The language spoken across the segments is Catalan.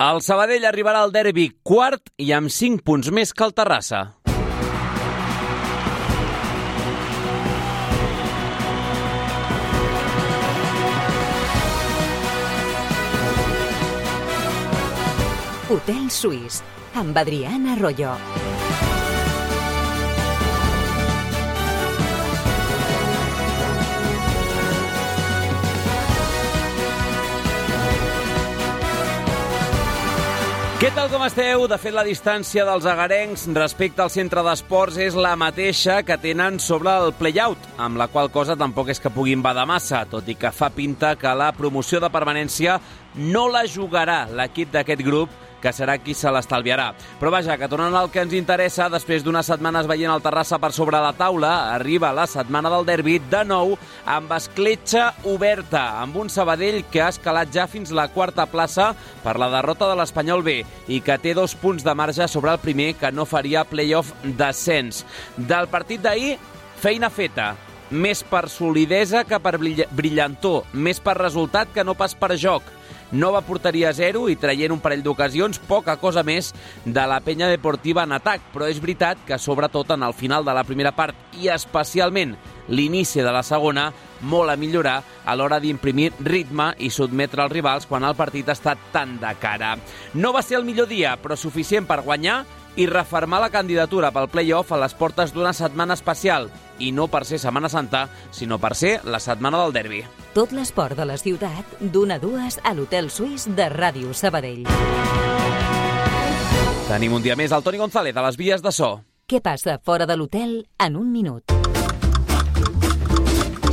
El Sabadell arribarà al derbi quart i amb 5 punts més que el Terrassa. Hotel Suís, amb Adriana Arroyo. Què tal com esteu? De fet, la distància dels agarencs respecte al centre d'esports és la mateixa que tenen sobre el play-out, amb la qual cosa tampoc és que puguin badar massa, tot i que fa pinta que la promoció de permanència no la jugarà l'equip d'aquest grup, que serà qui se l'estalviarà. Però vaja, que tornant al que ens interessa, després d'unes setmanes veient el Terrassa per sobre la taula, arriba la setmana del derbi de nou amb escletxa oberta, amb un Sabadell que ha escalat ja fins la quarta plaça per la derrota de l'Espanyol B i que té 2 punts de marge sobre el primer, que no faria play-off descens. Del partit d'ahir, feina feta. Més per solidesa que per brillantor, més per resultat que no pas per joc. Nova porteria a 0 i traient un parell d'ocasions, poca cosa més de la penya deportiva en atac, però és veritat que sobretot en el final de la primera part i especialment l'inici de la segona, molt a millorar a l'hora d'imprimir ritme i sotmetre els rivals quan el partit està tan de cara. No va ser el millor dia, però suficient per guanyar i refermar la candidatura pel play-off a les portes d'una setmana especial, i no per ser Setmana Santa, sinó per ser la setmana del derbi. Tot l'esport de la ciutat, d'1 a 2 a l'Hotel Suís de Ràdio Sabadell. Tenim un dia més el Toni González a les vies de so. Què passa fora de l'hotel en un minut?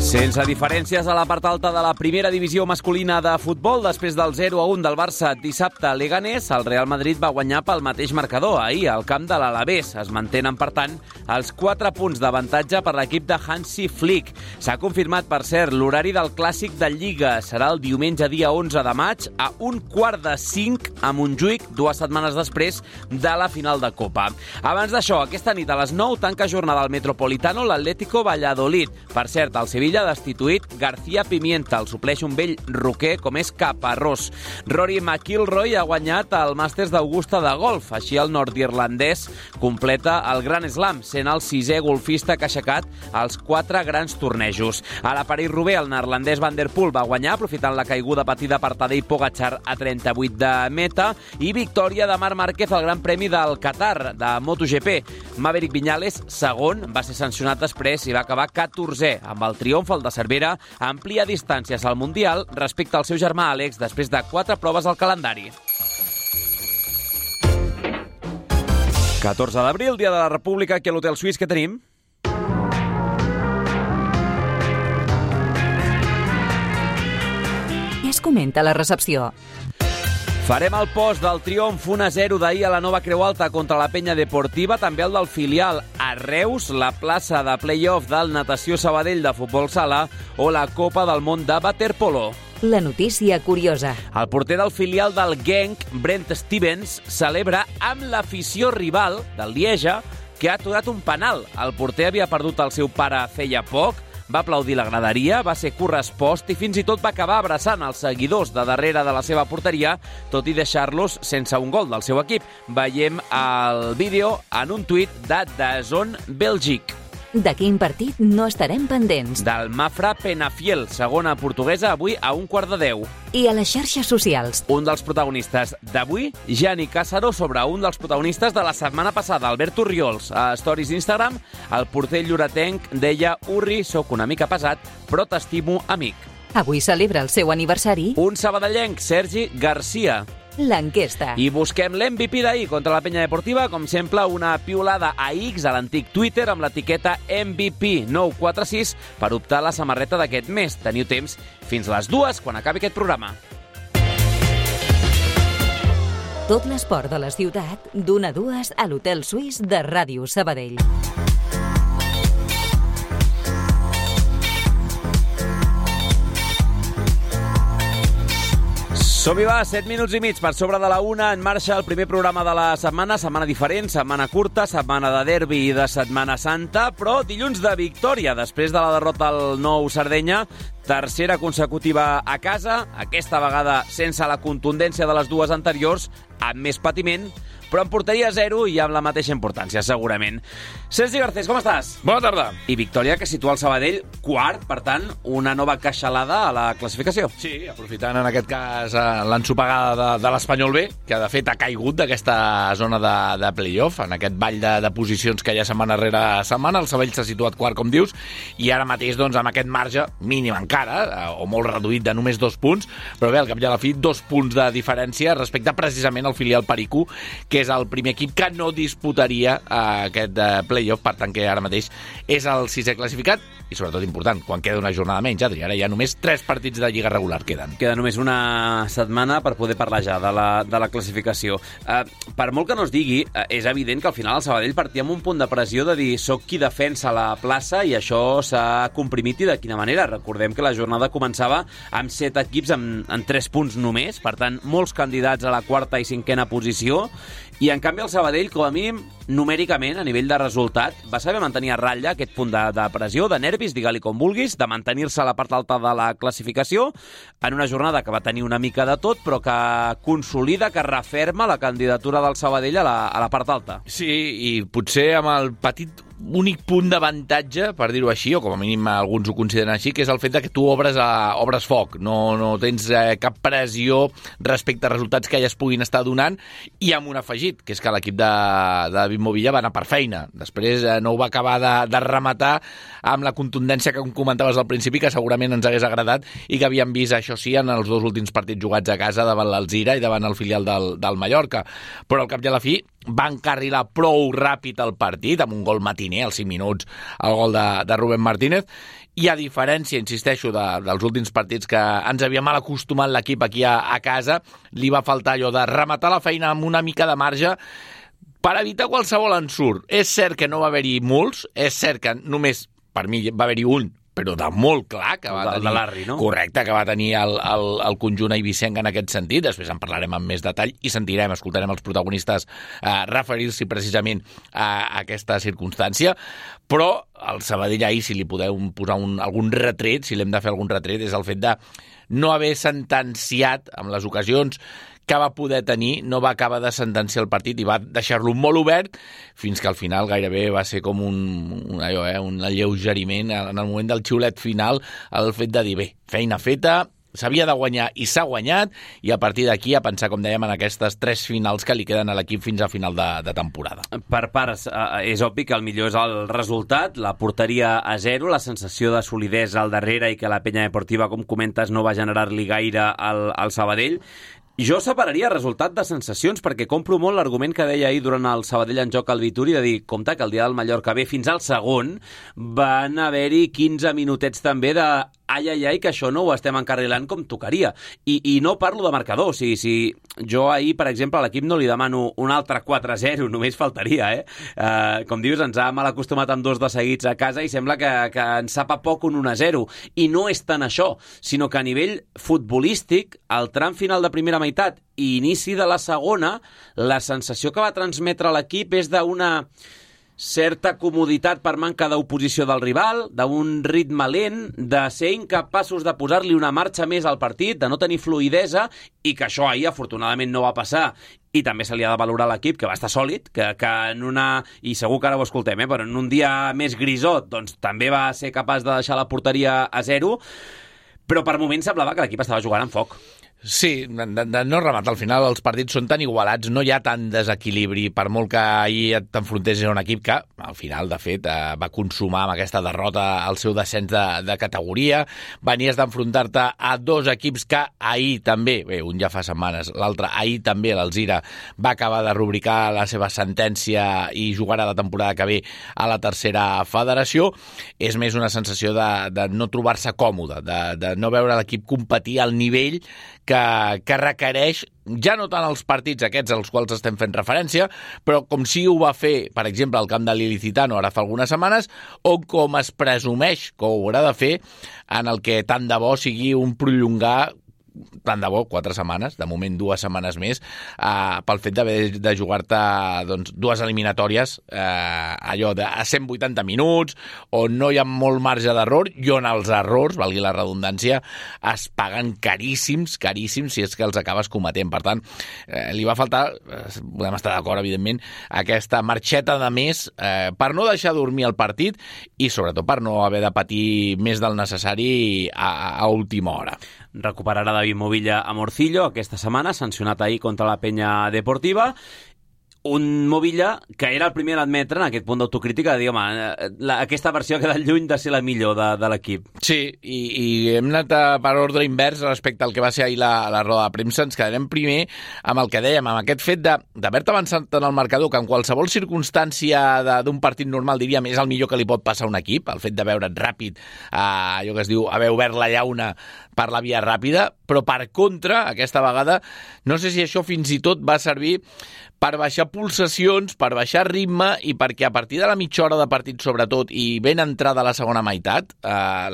Sense diferències a la part alta de la primera divisió masculina de futbol, després del 0-1 del Barça dissabte a Leganés, el Real Madrid va guanyar pel mateix marcador ahir al camp de l'Alavés. Es mantenen, per tant, els 4 punts d'avantatge per l'equip de Hansi Flick. S'ha confirmat, per cert, l'horari del Clàssic de Lliga. Serà el diumenge dia 11 de maig a 4:45 a Montjuïc, 2 setmanes després de la final de Copa. Abans d'això, aquesta nit a les 9 tanca jornada al Metropolitano l'Atlético Valladolid. Per cert, el Sevilla ha destituït García Pimienta, el supleix un vell roquer com és Caparrós. Rory McIlroy ha guanyat el Màsters d'Augusta de golf, així el nord-irlandès completa el Grand Slam, sent el 6è golfista que ha aixecat els 4 grans tornejos. A la París-Roubaix, el neerlandès Van der Poel va guanyar, aprofitant la caiguda patida per Tadej Pogačar a 38 de meta, i victòria de Marc Márquez al Gran Premi del Qatar, de MotoGP. Maverick Viñales, segon, va ser sancionat després i va acabar 14è, amb el triomf el de Cervera amplia distàncies al Mundial respecte al seu germà Àlex després de 4 proves al calendari. 14 d'abril, dia de la República, aquí a l'Hotel Suís, què tenim? Què es comenta a la recepció? Farem el post del triomf 1-0 d'ahir a la Nova Creu Alta contra la Penya Deportiva, també el del filial a Reus, la plaça de play-off del Natació Sabadell de futbol sala o la Copa del Món de waterpolo. La notícia curiosa. El porter del filial del Genk, Brent Stevens, celebra amb l'afició rival del Lieja que ha aturat un penal. El porter havia perdut el seu pare feia poc, va aplaudir la graderia, va ser correspost i fins i tot va acabar abraçant els seguidors de darrere de la seva porteria, tot i deixar-los sense un gol del seu equip. Veiem el vídeo en un tuit de DAZN Belgique. De quin partit no estarem pendents? Del Mafra Penafiel, segona portuguesa, avui a 9:45. I a les xarxes socials? Un dels protagonistes d'avui, Gianni Càssaro, sobre un dels protagonistes de la setmana passada, Alberto Riols. A stories d'Instagram, el porter lloretenc deia: Urri, sóc una mica pesat, però t'estimo, amic. Avui celebra el seu aniversari Un sabadellenc, Sergi Garcia. l'enquesta. I busquem l'MVP d'ahir contra la Penya Deportiva, com sempre una piulada a X, a l'antic Twitter, amb l'etiqueta MVP 946 per optar a la samarreta d'aquest mes. Teniu temps fins les 2 quan acabi aquest programa. Tot l'esport de la ciutat, d'1 a 2 a l'Hotel Suís de Ràdio Sabadell. Som-hi, va, 7 minuts i mig per sobre de la 1, en marxa el primer programa de la setmana diferent, setmana curta, setmana de derbi i de Setmana Santa, però dilluns de victòria, després de la derrota al Nou Sardenya, tercera consecutiva a casa, aquesta vegada sense la contundència de les dues anteriors, amb més patiment, però en porteria 0 i amb la mateixa importància, segurament. Sergi Garcés, com estàs? Bona tarda. I victòria que situa el Sabadell quart, per tant, una nova queixalada a la classificació. Sí, aprofitant en aquest cas l'ensopegada de l'Espanyol B, que de fet ha caigut d'aquesta zona de play-off, en aquest ball de posicions que hi ha setmana rere setmana. El Sabadell s'ha situat quart, com dius, i ara mateix, doncs, amb aquest marge mínim encara, o molt reduït de només 2 punts, però bé, al cap i a la fi, 2 punts de diferència respecte precisament al filial Perico, que és el primer equip que no disputaria aquest play-off, per tant que ara mateix és el 6è classificat, i sobretot important, quan queda una jornada menys, Adri, ara hi ha només 3 partits de Lliga regular queden. Queda només una setmana per poder parlar ja de la classificació. Per molt que no es digui, és evident que al final el Sabadell partia amb un punt de pressió de dir soc qui defensa la plaça, i això s'ha comprimit, i de quina manera. Recordem que la jornada començava amb 7 equips en 3 punts només, per tant, molts candidats a la quarta i cinquena posició, i en canvi el Sabadell, com a mínim, numèricament, a nivell de resultat, va saber mantenir a ratlla aquest punt de pressió, de nervis, digue-li com vulguis, de mantenir-se a la part alta de la classificació, en una jornada que va tenir una mica de tot, però que consolida, que referma la candidatura del Sabadell a la part alta. Sí, i potser amb el petit únic punt d'avantatge, per dir-ho així, o com a mínim alguns ho consideren així, que és el fet que tu obres foc, no tens cap pressió respecte a resultats que ja es puguin estar donant, i amb un afegit, que és que l'equip de David Movilla va anar per feina. Després no ho va acabar de rematar amb la contundència que comentaves al principi, que segurament ens hagués agradat, i que havíem vist, això sí, en els 2 últims partits jugats a casa davant l'Alzira i davant el filial del Mallorca. Però al cap i a la fi va encarrilar prou ràpid el partit, amb un gol matiner als 5 minuts, el gol de Rubén Martínez, i a diferència, insisteixo, dels últims partits que ens havia mal acostumat l'equip aquí a casa, li va faltar allò de rematar la feina amb una mica de marge per evitar qualsevol ensurt. És cert que no va haver-hi molts, és cert que només, per mi, va haver-hi un, però de molt clar, que va tenir... de l'Arri, no? Correcte, que va tenir el conjunt eivissenc en aquest sentit. Després en parlarem amb més detall i escoltarem els protagonistes referir-s'hi precisament a aquesta circumstància. Però al Sabadell ahir, si li podeu posar algun retret, si l'hem de fer algun retret, és el fet de no haver sentenciat amb les ocasions que va poder tenir, no va acabar de sentenciar el partit i va deixar-lo molt obert fins que al final gairebé va ser com un alleugeriment en el moment del xiulet final, el fet de dir, bé, feina feta, s'havia de guanyar i s'ha guanyat, i a partir d'aquí a pensar, com dèiem, en aquestes 3 finals que li queden a l'equip fins a final de temporada. Per parts, és obvi que el millor és el resultat, la porteria a 0, la sensació de solidesa al darrere i que la penya deportiva, com comentes, no va generar-li gaire al Sabadell. Jo separaria resultat de sensacions, perquè compro molt l'argument que deia ahir durant el Sabadell en joc al Vituri, de dir, compte que el dia del Mallorca B fins al segon van haver-hi 15 minutets també de ai, que això no ho estem encarrilant com tocaria. I no parlo de marcador. Si jo ahir, per exemple, a l'equip no li demano un altre 4-0, només faltaria, com dius, ens ha mal acostumat amb 2 de seguits a casa i sembla que ens sap a poc un 1-0. I no és tant això, sinó que a nivell futbolístic, al tram final de primera meitat i inici de la segona, la sensació que va transmetre l'equip és d'una certa comoditat per manca d'oposició del rival, d'un ritme lent, de ser incapaços de posar-li una marxa més al partit, de no tenir fluïdesa, i que això ahir afortunadament no va passar. I també se li ha de valorar l'equip, que va estar sòlid, que en una... i segur que ara ho escoltem, però en un dia més grisot, doncs també va ser capaç de deixar la porteria a 0, però per moments semblava que l'equip estava jugant amb foc. Sí, de no rematar. Al final els partits són tan igualats, no hi ha tant desequilibri, per molt que ahir t'enfrontessis a un equip que, al final, de fet, va consumar amb aquesta derrota el seu descens de categoria. Venies d'enfrontar-te a 2 equips que ahir també, bé, un ja fa setmanes, l'altre ahir també, l'Alzira, va acabar de rubricar la seva sentència i jugarà la temporada que ve a la 3a federació. És més una sensació de no trobar-se còmode, de no veure l'equip competir al nivell que requereix, ja no tant els partits aquests als quals estem fent referència, però com si ho va fer, per exemple, al camp de l'Ilicitano ara fa algunes setmanes, o com es presumeix que ho haurà de fer en el que tant de bo sigui un prolongar tant de bo, 4 setmanes, de moment 2 setmanes més, pel fet d'haver de jugar-te doncs, 2 eliminatòries allò de 180 minuts, on no hi ha molt marge d'error i on els errors, valgui la redundància, es paguen caríssims si és que els acabes cometent. Per tant, li va faltar, podem estar d'acord, evidentment, aquesta marxeta de més per no deixar dormir el partit i sobretot per no haver de patir més del necessari a última hora. Recuperarà David Movilla a Morcillo aquesta setmana, sancionat ahir contra la Penya Deportiva. Un Movilla que era el primer a admetre en aquest punt d'autocrítica de dir, home, aquesta versió ha quedat lluny de ser la millor de l'equip. Sí, i hem anat per ordre invers respecte al que va ser ahir la roda de premsa. Ens quedarem primer amb el que dèiem, amb aquest fet d'haver-te avançat en el marcador, que en qualsevol circumstància d'un partit normal, diríem, és el millor que li pot passar a un equip, el fet de veure't ràpid, allò que es diu haver obert la llauna per la via ràpida, però per contra, aquesta vegada, no sé si això fins i tot va servir per baixar pulsacions, per baixar ritme i perquè a partir de la mitja hora de partit, sobretot, i ben entrada a la segona meitat,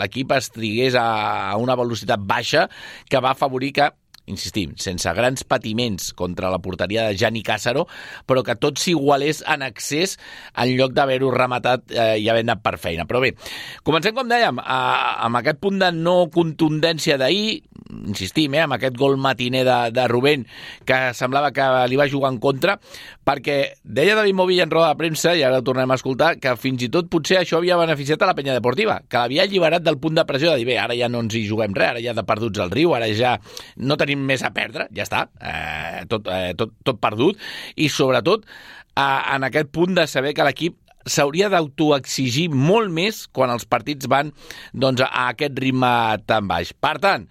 l'equip es trigués a una velocitat baixa que va afavorir que, insistim, sense grans patiments contra la porteria de Gianni Càssaro, però que tot s'igualés en excés en lloc d'haver-ho rematat i haver anat per feina. Però bé, comencem, com dèiem, amb aquest punt de no contundència d'ahir, insistim, amb aquest gol matiner de Rubén, que semblava que li va jugar en contra, perquè deia David Movilla en roda de premsa, i ara ho tornem a escoltar, que fins i tot potser això havia beneficiat a la Penya Deportiva, que l'havia alliberat del punt de pressió de dir, bé, ara ja no ens hi juguem res, ara ja de perduts al riu, ara ja no tenim més a perdre, ja està, tot perdut, i sobretot en aquest punt de saber que l'equip s'hauria d'autoexigir molt més quan els partits van doncs, a aquest ritme tan baix. Per tant,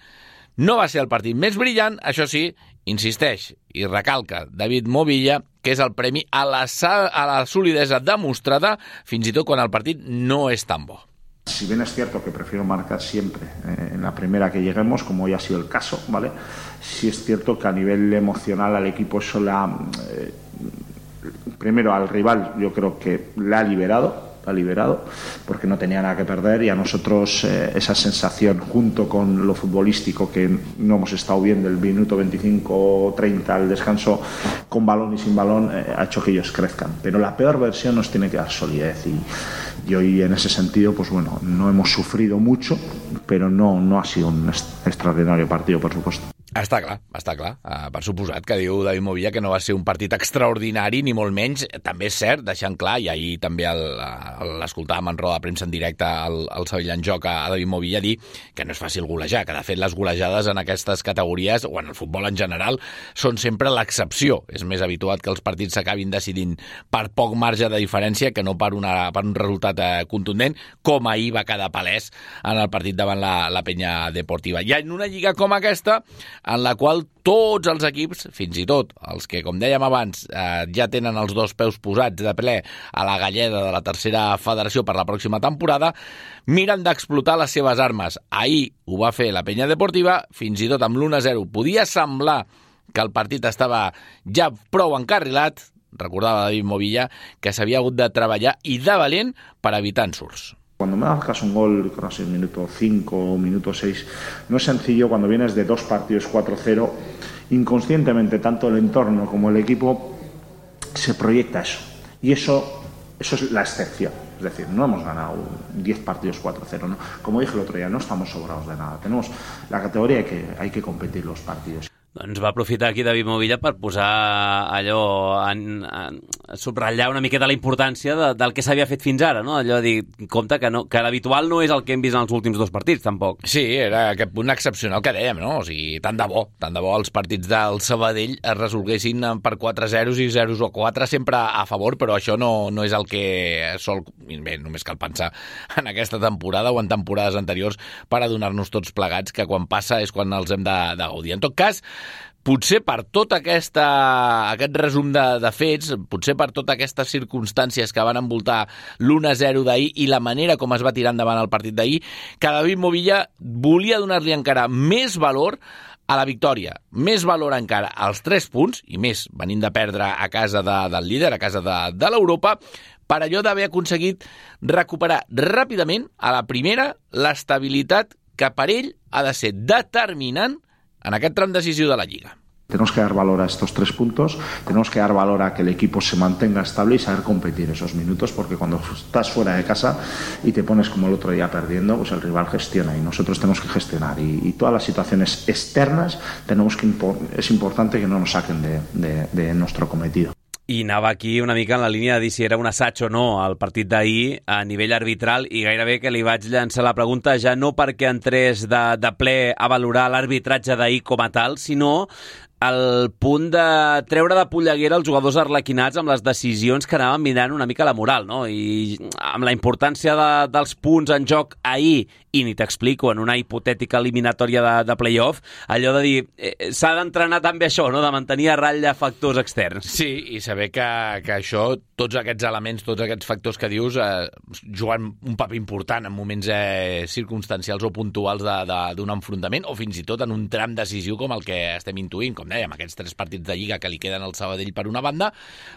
no va ser el partit més brillant, això sí, insisteix i recalca David Movilla, que és el premi a la solidesa demostrada fins i tot quan el partit no és tan bo. Si bien es cierto que prefiero marcar siempre en la primera que lleguemos, como ya ha sido el caso, ¿vale? Sí es cierto que a nivel emocional al equipo eso primero al rival yo creo que la ha liberado porque no tenía nada que perder, y a nosotros esa sensación junto con lo futbolístico que no hemos estado viendo el minuto 25-30 al descanso con balón y sin balón ha hecho que ellos crezcan, pero la peor versión nos tiene que dar solidez y hoy en ese sentido pues bueno, no hemos sufrido mucho, però no ha sido un extraordinario partido, por supuesto. Està clar. Per suposat que diu David Movilla que no va ser un partit extraordinari, ni molt menys. També és cert, deixant clar, i ahir també l'escoltàvem en roda de premsa en directe al Sevilla en Joc a David Movilla dir que no és fàcil golejar, que de fet les golejades en aquestes categories, o en el futbol en general, són sempre l'excepció. És més habitual que els partits s'acabin decidint per poc marge de diferència que no per un resultat contundent, com ahir va quedar palès en el partit davant la Penya Deportiva. I en una lliga com aquesta, en la qual tots els equips, fins i tot els que, com dèiem abans, ja tenen els dos peus posats de ple a la galleda de la tercera federació per la pròxima temporada, miren d'explotar les seves armes. Ahir ho va fer la Penya Deportiva, fins i tot amb l'1-0 podia semblar que el partit estava ja prou encarrilat. Recordava David Movilla que s'havia hagut de treballar i de valent per evitar ensurts. Cuando me marcas un gol, no sé, minuto 5 o minuto 6, no es sencillo cuando vienes de 2 partidos 4-0, inconscientemente tanto el entorno como el equipo se proyecta eso. Y eso es la excepción. Es decir, no hemos ganado 10 partidos 4-0. ¿no? Como dije el otro día, no estamos sobrados de nada. Tenemos la categoría que hay que competir los partidos. Doncs va aprofitar aquí David Movilla per posar allò, subratllar una miqueta la importància del que s'havia fet fins ara, no? Allò de dir, compte que l'habitual no és el que hem vist en els últims 2 partits, tampoc. Sí, era aquest punt excepcional que dèiem, no? O sigui, tant de bo els partits del Sabadell es resolguessin per 4-0 i 0-4 sempre a favor, però això no és el que sol... Bé, només cal pensar en aquesta temporada o en temporades anteriors per adonar-nos tots plegats que quan passa és quan els hem de gaudir. En tot cas, potser per tot aquest resum de fets, potser per totes aquestes circumstàncies que van envoltar l'1-0 d'ahir i la manera com es va tirar endavant el partit d'ahir, que David Movilla volia donar-li encara més valor a la victòria, més valor encara als 3 punts, i més venint de perdre a casa del líder, a casa de l'Europa, per allò d'haver aconseguit recuperar ràpidament a la primera l'estabilitat que per ell ha de ser determinant en aquest tram decisiu de la Lliga. Tenemos que dar valor a estos 3 puntos, tenemos que dar valor a que el equipo se mantenga estable y saber competir esos minutos, porque cuando estás fuera de casa y te pones como el otro día perdiendo, pues el rival gestiona y nosotros tenemos que gestionar. Y todas las situaciones externas es importante que no nos saquen de nuestro cometido. I anava aquí una mica en la línia de dir si era un assaig o no el partit d'ahir a nivell arbitral, i gairebé que li vaig llançar la pregunta ja no perquè entrés de ple a valorar l'arbitratge d'ahir com a tal, sinó el punt de treure de polleguera els jugadors arlequinats amb les decisions que anaven mirant una mica la moral, no? I amb la importància dels punts en joc ahir, i ni t'explico, en una hipotètica eliminatòria de play-off, allò de dir, s'ha d'entrenar també això, no?, de mantenir a ratlla factors externs. Sí, i saber que això, tots aquests elements, tots aquests factors que dius, juguen un paper important en moments circumstancials o puntuals d'un enfrontament, o fins i tot en un tram decisiu com el que estem intuint, com dèiem, aquests 3 partits de Lliga que li queden al Sabadell per una banda,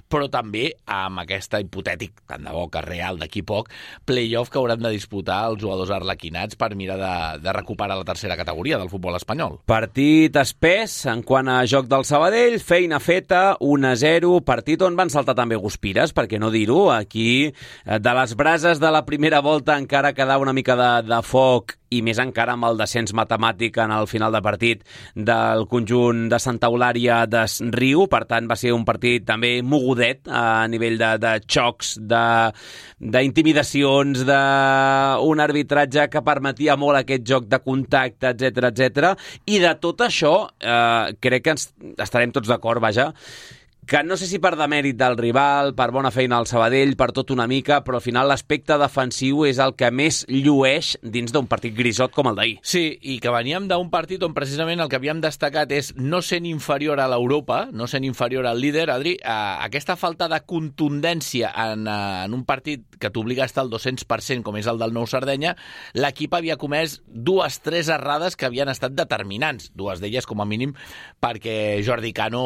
però també amb aquesta hipotètic, tant de bo que real d'aquí poc, play-off que hauran de disputar els jugadors arlequinats per mirar de recuperar la tercera categoria del futbol espanyol. Partit espès en quant a joc del Sabadell, feina feta, 1-0, partit on van saltar també guspires, per què no dir-ho? Aquí, de les brases de la primera volta encara quedava una mica de foc, i més encara amb el descens matemàtic en el final de partit del conjunt de Santa Eulària de Riu. Per tant, va ser un partit també mogudet a nivell de xocs, d'intimidacions, d'un arbitratge que permetia molt aquest joc de contacte, etc. I de tot això, crec que estarem tots d'acord, vaja, que no sé si per demèrit del rival, per bona feina al Sabadell, per tot una mica, però al final l'aspecte defensiu és el que més llueix dins d'un partit grisot com el d'ahir. Sí, i que veníem d'un partit on precisament el que havíem destacat és no sent inferior a l'Europa, no sent inferior al líder, Adri, aquesta falta de contundència en un partit que t'obliga a estar al 200%, com és el del Nou Sardenya, l'equip havia comès 2-3 errades que havien estat determinants, 2 d'elles com a mínim perquè Jordi Cano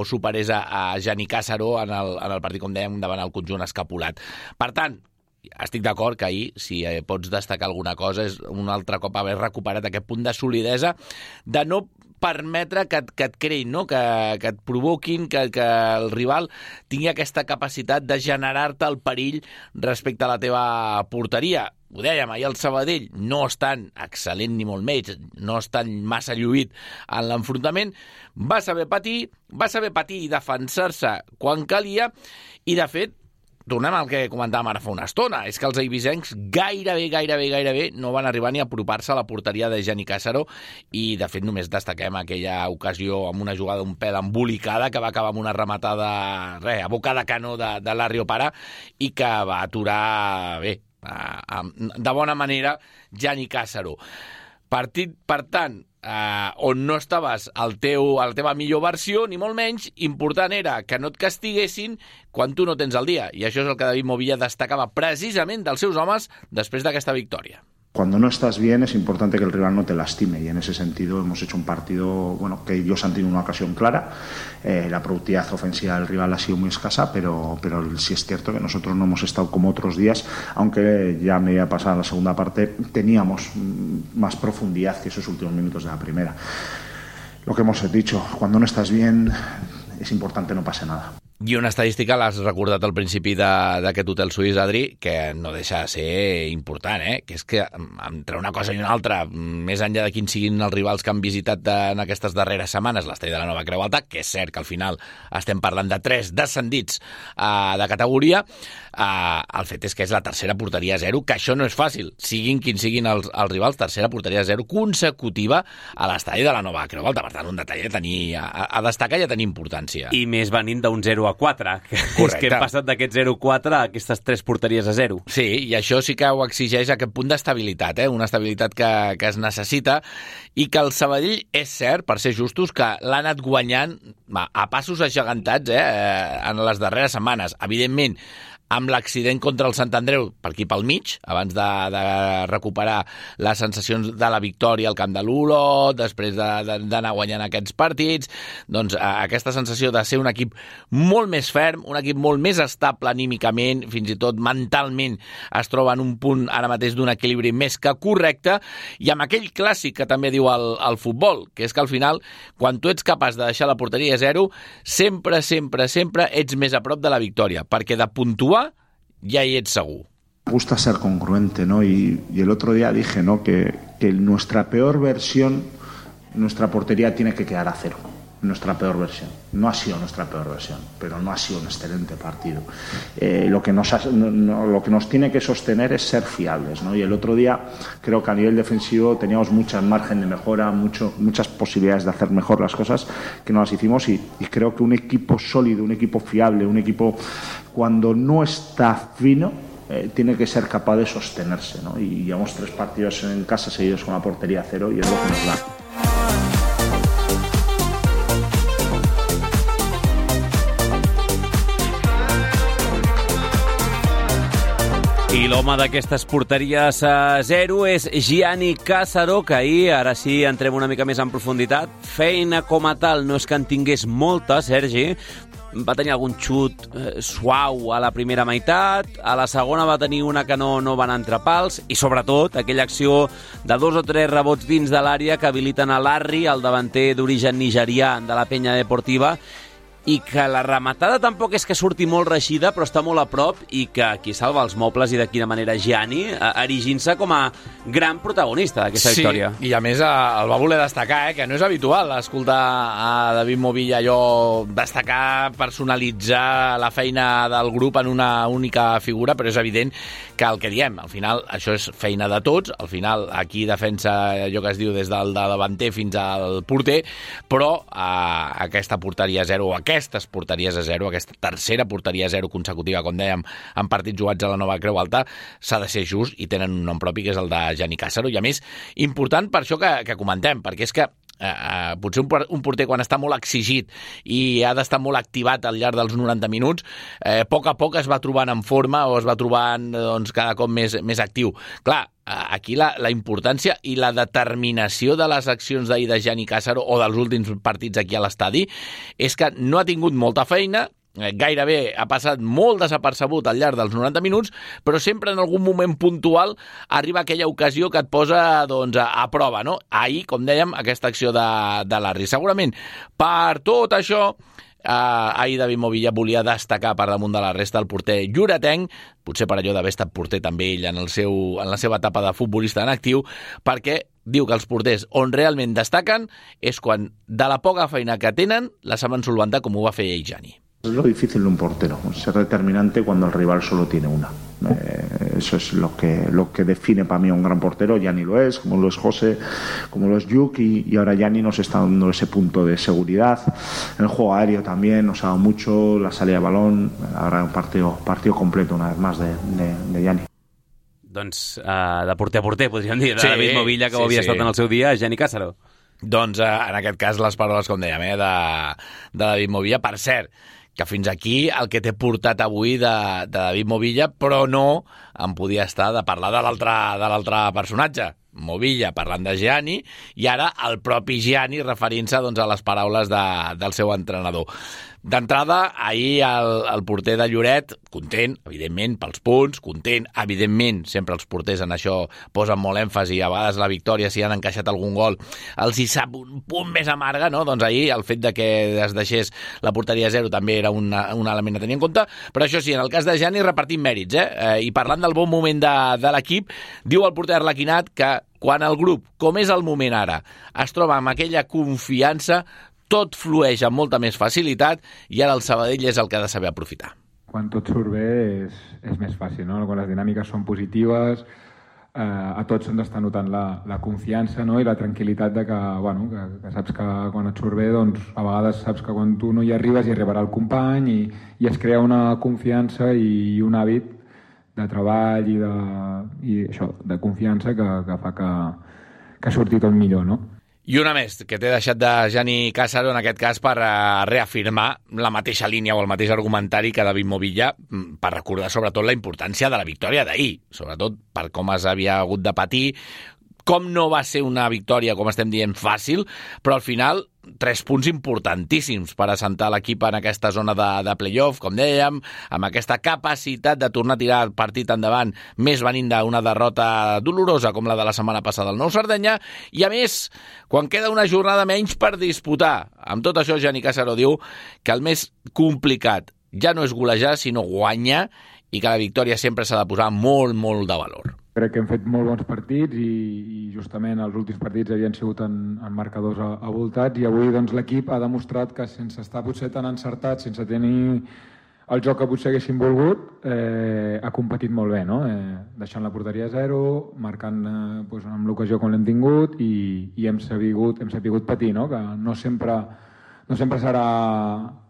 superés a Jani Càssaro en el partit, com dèiem, davant el conjunt escapulat. Per tant, estic d'acord que ahir, si pots destacar alguna cosa, és un altre cop haver recuperat aquest punt de solidesa, de no permetre que et creïn, no? que et provoquin, que el rival tingui aquesta capacitat de generar-te el perill respecte a la teva porteria. Ho dèiem, ahir el Sabadell no és tan excel·lent ni molt menys, no és tan massa lluït en l'enfrontament, va saber patir i defensar-se quan calia, i de fet, tornem al que comentàvem ara fa una estona, és que els eivissencs gairebé no van arribar ni a apropar-se a la porteria de Jani Càssaro, i de fet només destaquem aquella ocasió amb una jugada un pèl embolicada que va acabar amb una rematada a boca de canó de Larry Opara i que va aturar bé, de bona manera, Jani Càssaro. Partit, per tant, on no estaves a la teva millor versió, ni molt menys, important era que no et castiguessin quan tu no tens el dia. I això és el que David Movilla destacava precisament dels seus homes després d'aquesta victòria. Cuando no estás bien es importante que el rival no te lastime, y en ese sentido hemos hecho un partido que ellos han tenido una ocasión clara. La productividad ofensiva del rival ha sido muy escasa, pero sí es cierto que nosotros no hemos estado como otros días, aunque ya a medida pasada la segunda parte teníamos más profundidad que esos últimos minutos de la primera. Lo que hemos dicho, cuando no estás bien es importante no pase nada. I una estadística l'has recordat al principi d'aquest hotel suís, Adri, que no deixa de ser important, que és que entre una cosa i una altra, més enllà de quins siguin els rivals que han visitat en aquestes darreres setmanes l'estadi de la Nova Creu Alta, que és cert que al final estem parlant de 3 descendits de categoria, el fet és que és la tercera porteria a 0, que això no és fàcil, siguin quins siguin els rivals, tercera porteria a 0 consecutiva a l'estadi de la Nova Creu Alta. Per tant, un detall a destacar i a tenir importància. I més venint d'un 0-4, és que hem passat d'aquest 0-4 a aquestes 3 porteries a 0. Sí, i això sí que ho exigeix aquest punt d'estabilitat, una estabilitat que es necessita, i que el Sabadell, és cert, per ser justos, que l'ha anat guanyant a passos agegantats en les darreres setmanes. Evidentment, amb l'accident contra el Sant Andreu per aquí pel mig, abans de recuperar les sensacions de la victòria al camp de l'Olot, després d'anar guanyant aquests partits, doncs aquesta sensació de ser un equip molt més ferm, un equip molt més estable anímicament, fins i tot mentalment es troba en un punt ara mateix d'un equilibri més que correcte, i amb aquell clàssic que també diu el futbol, que és que al final, quan tu ets capaç de deixar la porteria a zero, sempre ets més a prop de la victòria, perquè de puntuar ya hi ets segur. Me gusta ser congruente, ¿no? Y el otro día dije, ¿no?, que nuestra peor versión, nuestra portería tiene que quedar a cero. Nuestra peor versión. No ha sido nuestra peor versión, pero no ha sido un excelente partido. Lo que nos tiene que sostener es ser fiables, ¿no? Y el otro día creo que a nivel defensivo teníamos mucho margen de mejora, muchas posibilidades de hacer mejor las cosas que no las hicimos, y creo que un equipo sólido, un equipo fiable, un equipo cuando no está fino, tiene que ser capaz de sostenerse, ¿no? Y llevamos 3 partidos en casa seguidos con la portería a cero y es lo que nos da. I l'home d'aquestes porteries a zero és Gianni Cassaro, que ahir, ara sí, entrem una mica més en profunditat. Feina com a tal no és que en tingués molta, Sergi. Va tenir algun xut suau a la primera meitat, a la segona va tenir una que no van entrar pals, i sobretot aquella acció de 2 o 3 rebots dins de l'àrea que habiliten a Larry, el davanter d'origen nigerià de la Penya Deportiva, i que la rematada tampoc és que surti molt reixida, però està molt a prop, i que aquí salva els mobles, i de quina manera Gianni, erigint-se com a gran protagonista d'aquesta victòria. Sí, i a més el va voler destacar, que no és habitual escoltar a David Movilla allò destacar, personalitzar la feina del grup en una única figura, però és evident que el que diem, al final això és feina de tots, al final aquí defensa allò que es diu des del davanter fins al porter, però aquesta porteria zero, aquestes porteries a zero, aquesta tercera porteria a zero consecutiva, com dèiem, en partits jugats a la Nova Creu Alta, s'ha de ser just i tenen un nom propi, que és el de Gianni Cassaro, i a més, important per això que comentem, perquè és que potser un porter quan està molt exigit i ha d'estar molt activat al llarg dels 90 minuts, a poc es va trobant en forma o es va trobant cada cop més actiu. Clar, aquí la importància i la determinació de les accions d'ahir de Gianni Cassaro o dels últims partits aquí a l'estadi és que no ha tingut molta feina, gairebé ha passat molt desapercebut al llarg dels 90 minuts, però sempre en algun moment puntual arriba aquella ocasió que et posa a prova, no? Ahir, com dèiem, aquesta acció de Larry. Segurament, per tot això, ahir David Movilla volia destacar per damunt de la resta el porter lloretenc, potser per allò d'haver estat porter també ell en la seva etapa de futbolista en actiu, perquè diu que els porters on realment destaquen és quan de la poca feina que tenen la saben solventar, com ho va fer ell, Gianni. Es lo difícil de un portero, ser determinante cuando el rival solo tiene una. Eso es lo que define para mí a un gran portero. Gianni lo es, como lo es José, como lo es Yuk, y ahora Gianni nos está dando ese punto de seguridad. En el juego aéreo también nos ha dado mucho, la salida de balón, ahora un partido completo una vez más de Gianni. Doncs de porter a porter, podríem dir, de David Movilla, que ho havia estat en el seu dia, Gianni Cassaro. Doncs en aquest cas les paraules, com dèiem, de David Movilla. Per cert, que fins aquí el que t'he portat avui de David Movilla, però no em podia estar de parlar de l'altre personatge, Movilla, parlant de Gianni, i ara el propi Gianni referint-se a les paraules del seu entrenador. D'entrada, ahir el porter de Lloret, content, evidentment, pels punts, content, evidentment, sempre els porters en això posen molt èmfasi, a vegades la victòria, si han encaixat algun gol, els hi sap un punt més amarga, no? Doncs ahir el fet de que es deixés la porteria a zero també era un element a tenir en compte, però això sí, en el cas de Gianni repartim mèrits, i parlant del bon moment de l'equip, diu el porter arlequinat que quan el grup, com és el moment ara, es troba amb aquella confiança, tot flueix amb molta més facilitat i ara el Sabadell és el que ha de saber aprofitar. Quan tot surt bé és més fàcil, no? Quan les dinàmiques són positives, a tots se'ns està notant la confiança, no? I la tranquil·litat de que saps que quan et surt bé, doncs a vegades saps que quan tu no hi arribes hi arribarà el company i es crea una confiança i un hàbit de treball i això, de confiança que fa que surti tot millor, no? I una més, que t'he deixat de Gianni Cassaro, en aquest cas per reafirmar la mateixa línia o el mateix argumentari que David Movilla, per recordar sobretot la importància de la victòria d'ahir, sobretot per com es havia hagut de patir, com no va ser una victòria, com estem dient, fàcil, però al final 3 punts importantíssims per assentar l'equip en aquesta zona de playoff, com dèiem, amb aquesta capacitat de tornar a tirar el partit endavant, més venint d'una derrota dolorosa com la de la setmana passada al Nou Sardenya, i a més, quan queda una jornada menys per disputar. Amb tot això, Gianni Cassaro diu que el més complicat ja no és golejar, sinó guanyar, i que la victòria sempre s'ha de posar molt, molt de valor. Crec que hem fet molt bons partits i justament els últims partits havien sigut en marcadors avoltats, i avui doncs, l'equip ha demostrat que sense estar potser tan encertat, sense tenir el joc que potser haguéssim volgut, ha competit molt bé, no? Deixant la porteria a 0, marcant doncs, amb l'ocasió com l'hem tingut, i hem sabut patir, no? Que no sempre serà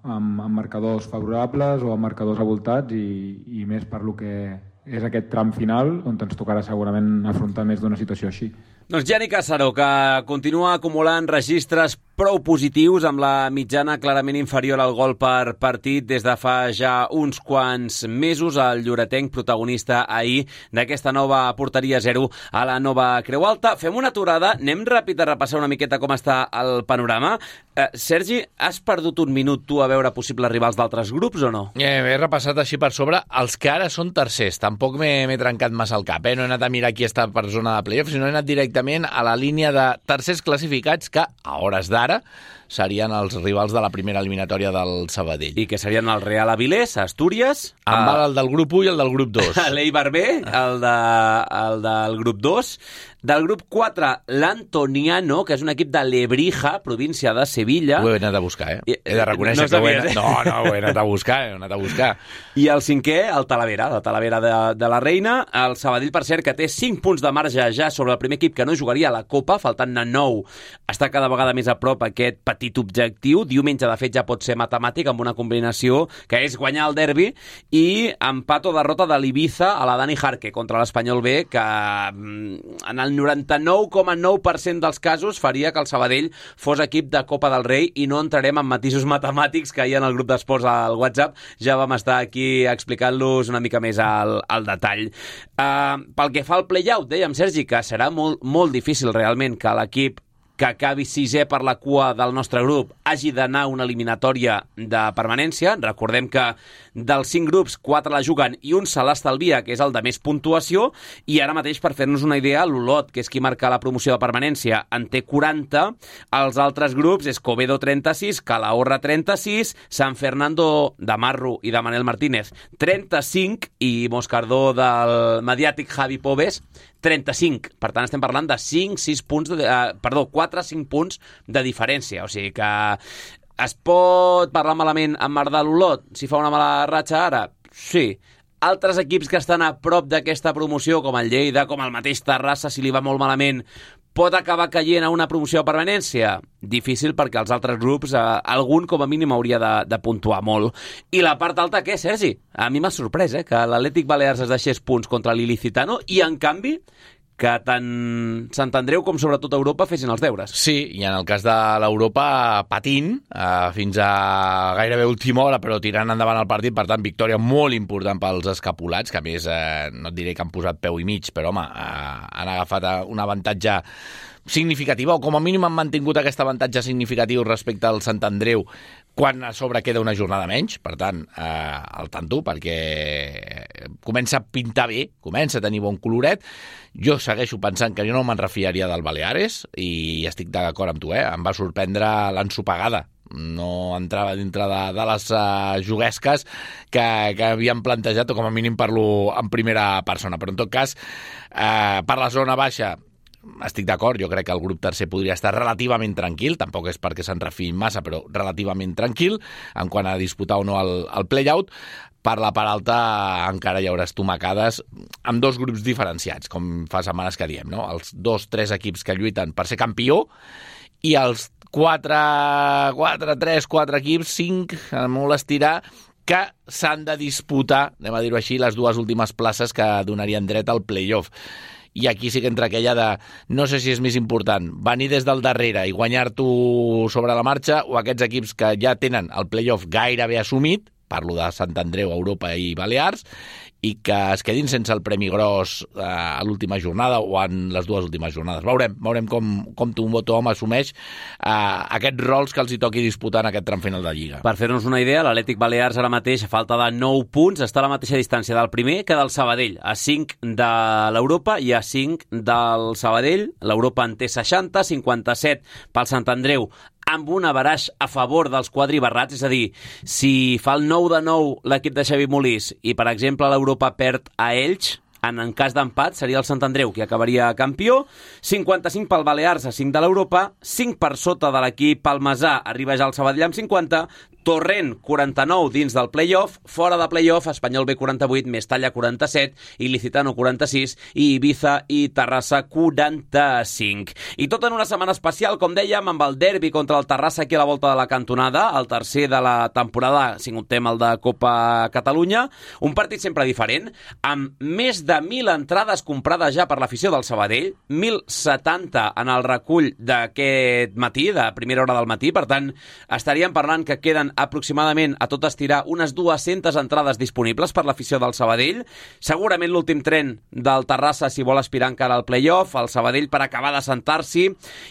amb marcadors favorables o amb marcadors avoltats, i més per lo que és aquest tram final on ens tocarà segurament afrontar més d'una situació així. Doncs Gianni Cassaro, que continua acumulant registres prou positius, amb la mitjana clarament inferior al gol per partit des de fa ja uns quants mesos. El lloretenc, protagonista ahir d'aquesta nova porteria 0 a la nova Creu Alta. Fem una aturada, anem ràpid a repassar una miqueta com està el panorama. Sergi, has perdut un minut tu a veure possibles rivals d'altres grups o no? He repassat així per sobre els que ara són tercers. Tampoc m'he trencat massa el cap. No he anat a mirar qui està per zona de playoff, sinó he anat directament a la línia de tercers classificats que, a hores d'ara, serien els rivals de la primera eliminatòria del Sabadell. I que serien el Real Avilés, Astúries... Em val el del grup 1 i el del grup 2. L'Eibar B, el del grup 2. Del grup 4, l'Antoniano, que és un equip de Lebrija, província de Sevilla. Ho he anat a buscar, He de reconèixer que ho he anat a buscar, I el 5è, el Talavera de la Reina. El Sabadell, per cert, que té 5 punts de marge ja sobre el primer equip que no jugaria a la Copa, faltant-ne 9. Està cada vegada més a prop aquest petit objectiu. Diumenge, de fet, ja pot ser matemàtic, amb una combinació que és guanyar el derbi, i empat o derrota de l'Ibiza a la Dani Jarque contra l'Espanyol B, que en el 99,9% dels casos faria que el Sabadell fos equip de Copa del Rei, i no entrarem en matisos matemàtics que hi ha en el grup d'esports al WhatsApp. Ja vam estar aquí explicant-los una mica més al detall. Pel que fa al play-out, dèiem, Sergi, que serà molt, molt difícil realment que l'equip que acabi 6è per la cua del nostre grup hagi d'anar a una eliminatòria de permanència. Recordem que dels 5 grups, 4 la juguen i un se l'estalvia, que és el de més puntuació, i ara mateix, per fer-nos una idea, l'Olot, que és qui marca la promoció de permanència, en té 40, els altres grups és Covedo 36, Calahorra 36, San Fernando de Marro i de Manel Martínez 35, i Moscardó del mediàtic Javi Pobes 35. Per tant, estem parlant de 4-5 punts de diferència. O sigui que es pot parlar malament amb Marc de l'Olot si fa una mala ratxa ara? Sí. Altres equips que estan a prop d'aquesta promoció, com el Lleida, com el mateix Terrassa, si li va molt malament, pot acabar caient a una promoció de permanència? Difícil, perquè els altres grups, algun com a mínim hauria de puntuar molt. I la part alta, què, Sergi? A mi m'ha sorprès, que l'Atlètic Balears es deixés punts contra l'Ilicitano, i en canvi que tant Sant Andreu com sobretot Europa fessin els deures. Sí, i en el cas de l'Europa patint fins a gairebé última hora, però tirant endavant el partit. Per tant, victòria molt important pels escapulats, que a més no et diré que han posat peu i mig, però home, han agafat un avantatge significativa, o com a mínim han mantingut aquest avantatge significatiu respecte al Sant Andreu, quan a sobre queda una jornada menys. Per tant, al tanto, perquè comença a pintar bé, comença a tenir bon coloret. Jo segueixo pensant que jo no me'n refiaria del Baleares, i estic d'acord amb tu, em va sorprendre l'ensopegada. No entrava dintre de les juguesques que havien plantejat, o com a mínim parlo en primera persona. Però en tot cas, per la zona baixa, estic d'acord, jo crec que el grup tercer podria estar relativament tranquil, tampoc és perquè se'n refiïn massa, però relativament tranquil en quant a disputar o no el play-out. Per la part alta encara hi haurà estomacades amb 2 grups diferenciats, com fa setmanes que diem, no? Els 2-3 equips que lluiten per ser campió, i els 4 equips, 5, molt estirar, que s'han de disputar, anem a dir-ho així, les 2 últimes places que donarien dret al play-off. i aquí sí que entra aquella de no sé si és més important venir des del darrere i guanyar-t'ho sobre la marxa o aquests equips que ja tenen el playoff gairebé assumit, parlo de Sant Andreu, Europa i Balears, i que es quedin sense el premi gros a l'última jornada o en les dues últimes jornades. Veurem com Tothom assumeix aquests rols que els hi toqui disputar en aquest tram final de Lliga. Per fer-nos una idea, l'Atlètic Balears ara mateix, a falta de 9 punts, està a la mateixa distància del primer que del Sabadell, a 5 de l'Europa i a 5 del Sabadell. L'Europa en té 60, 57 pel Sant Andreu, amb un averaix a favor dels quadribarrats, és a dir, si fa el 9 de 9 l'equip de Xavi Molís i, per exemple, l'Europa perd a Elx, en cas d'empat seria el Sant Andreu qui acabaria campió, 55 pel Balears a 5 de l'Europa, 5 per sota de l'equip palmesà, arriba ja el Sabadell amb 50, Torrent 49 dins del play-off, fora de play-off Espanyol B 48, Mestalla 47, Ilicitano 46 i Ibiza i Terrassa 45. I tot en una setmana especial, com dèiem, amb el derbi contra el Terrassa aquí a la volta de la cantonada, el tercer de la temporada, si comptem el de Copa Catalunya, un partit sempre diferent, amb més de 1.000 entrades comprades ja per l'afició del Sabadell, 1.070 en el recull d'aquest matí, de primera hora del matí, per tant, estaríem parlant que queden aproximadament a tot estirar unes 200 entrades disponibles per l'afició del Sabadell. Segurament l'últim tren del Terrassa si vol aspirar encara al play-off, el Sabadell per acabar de sentar-s'hi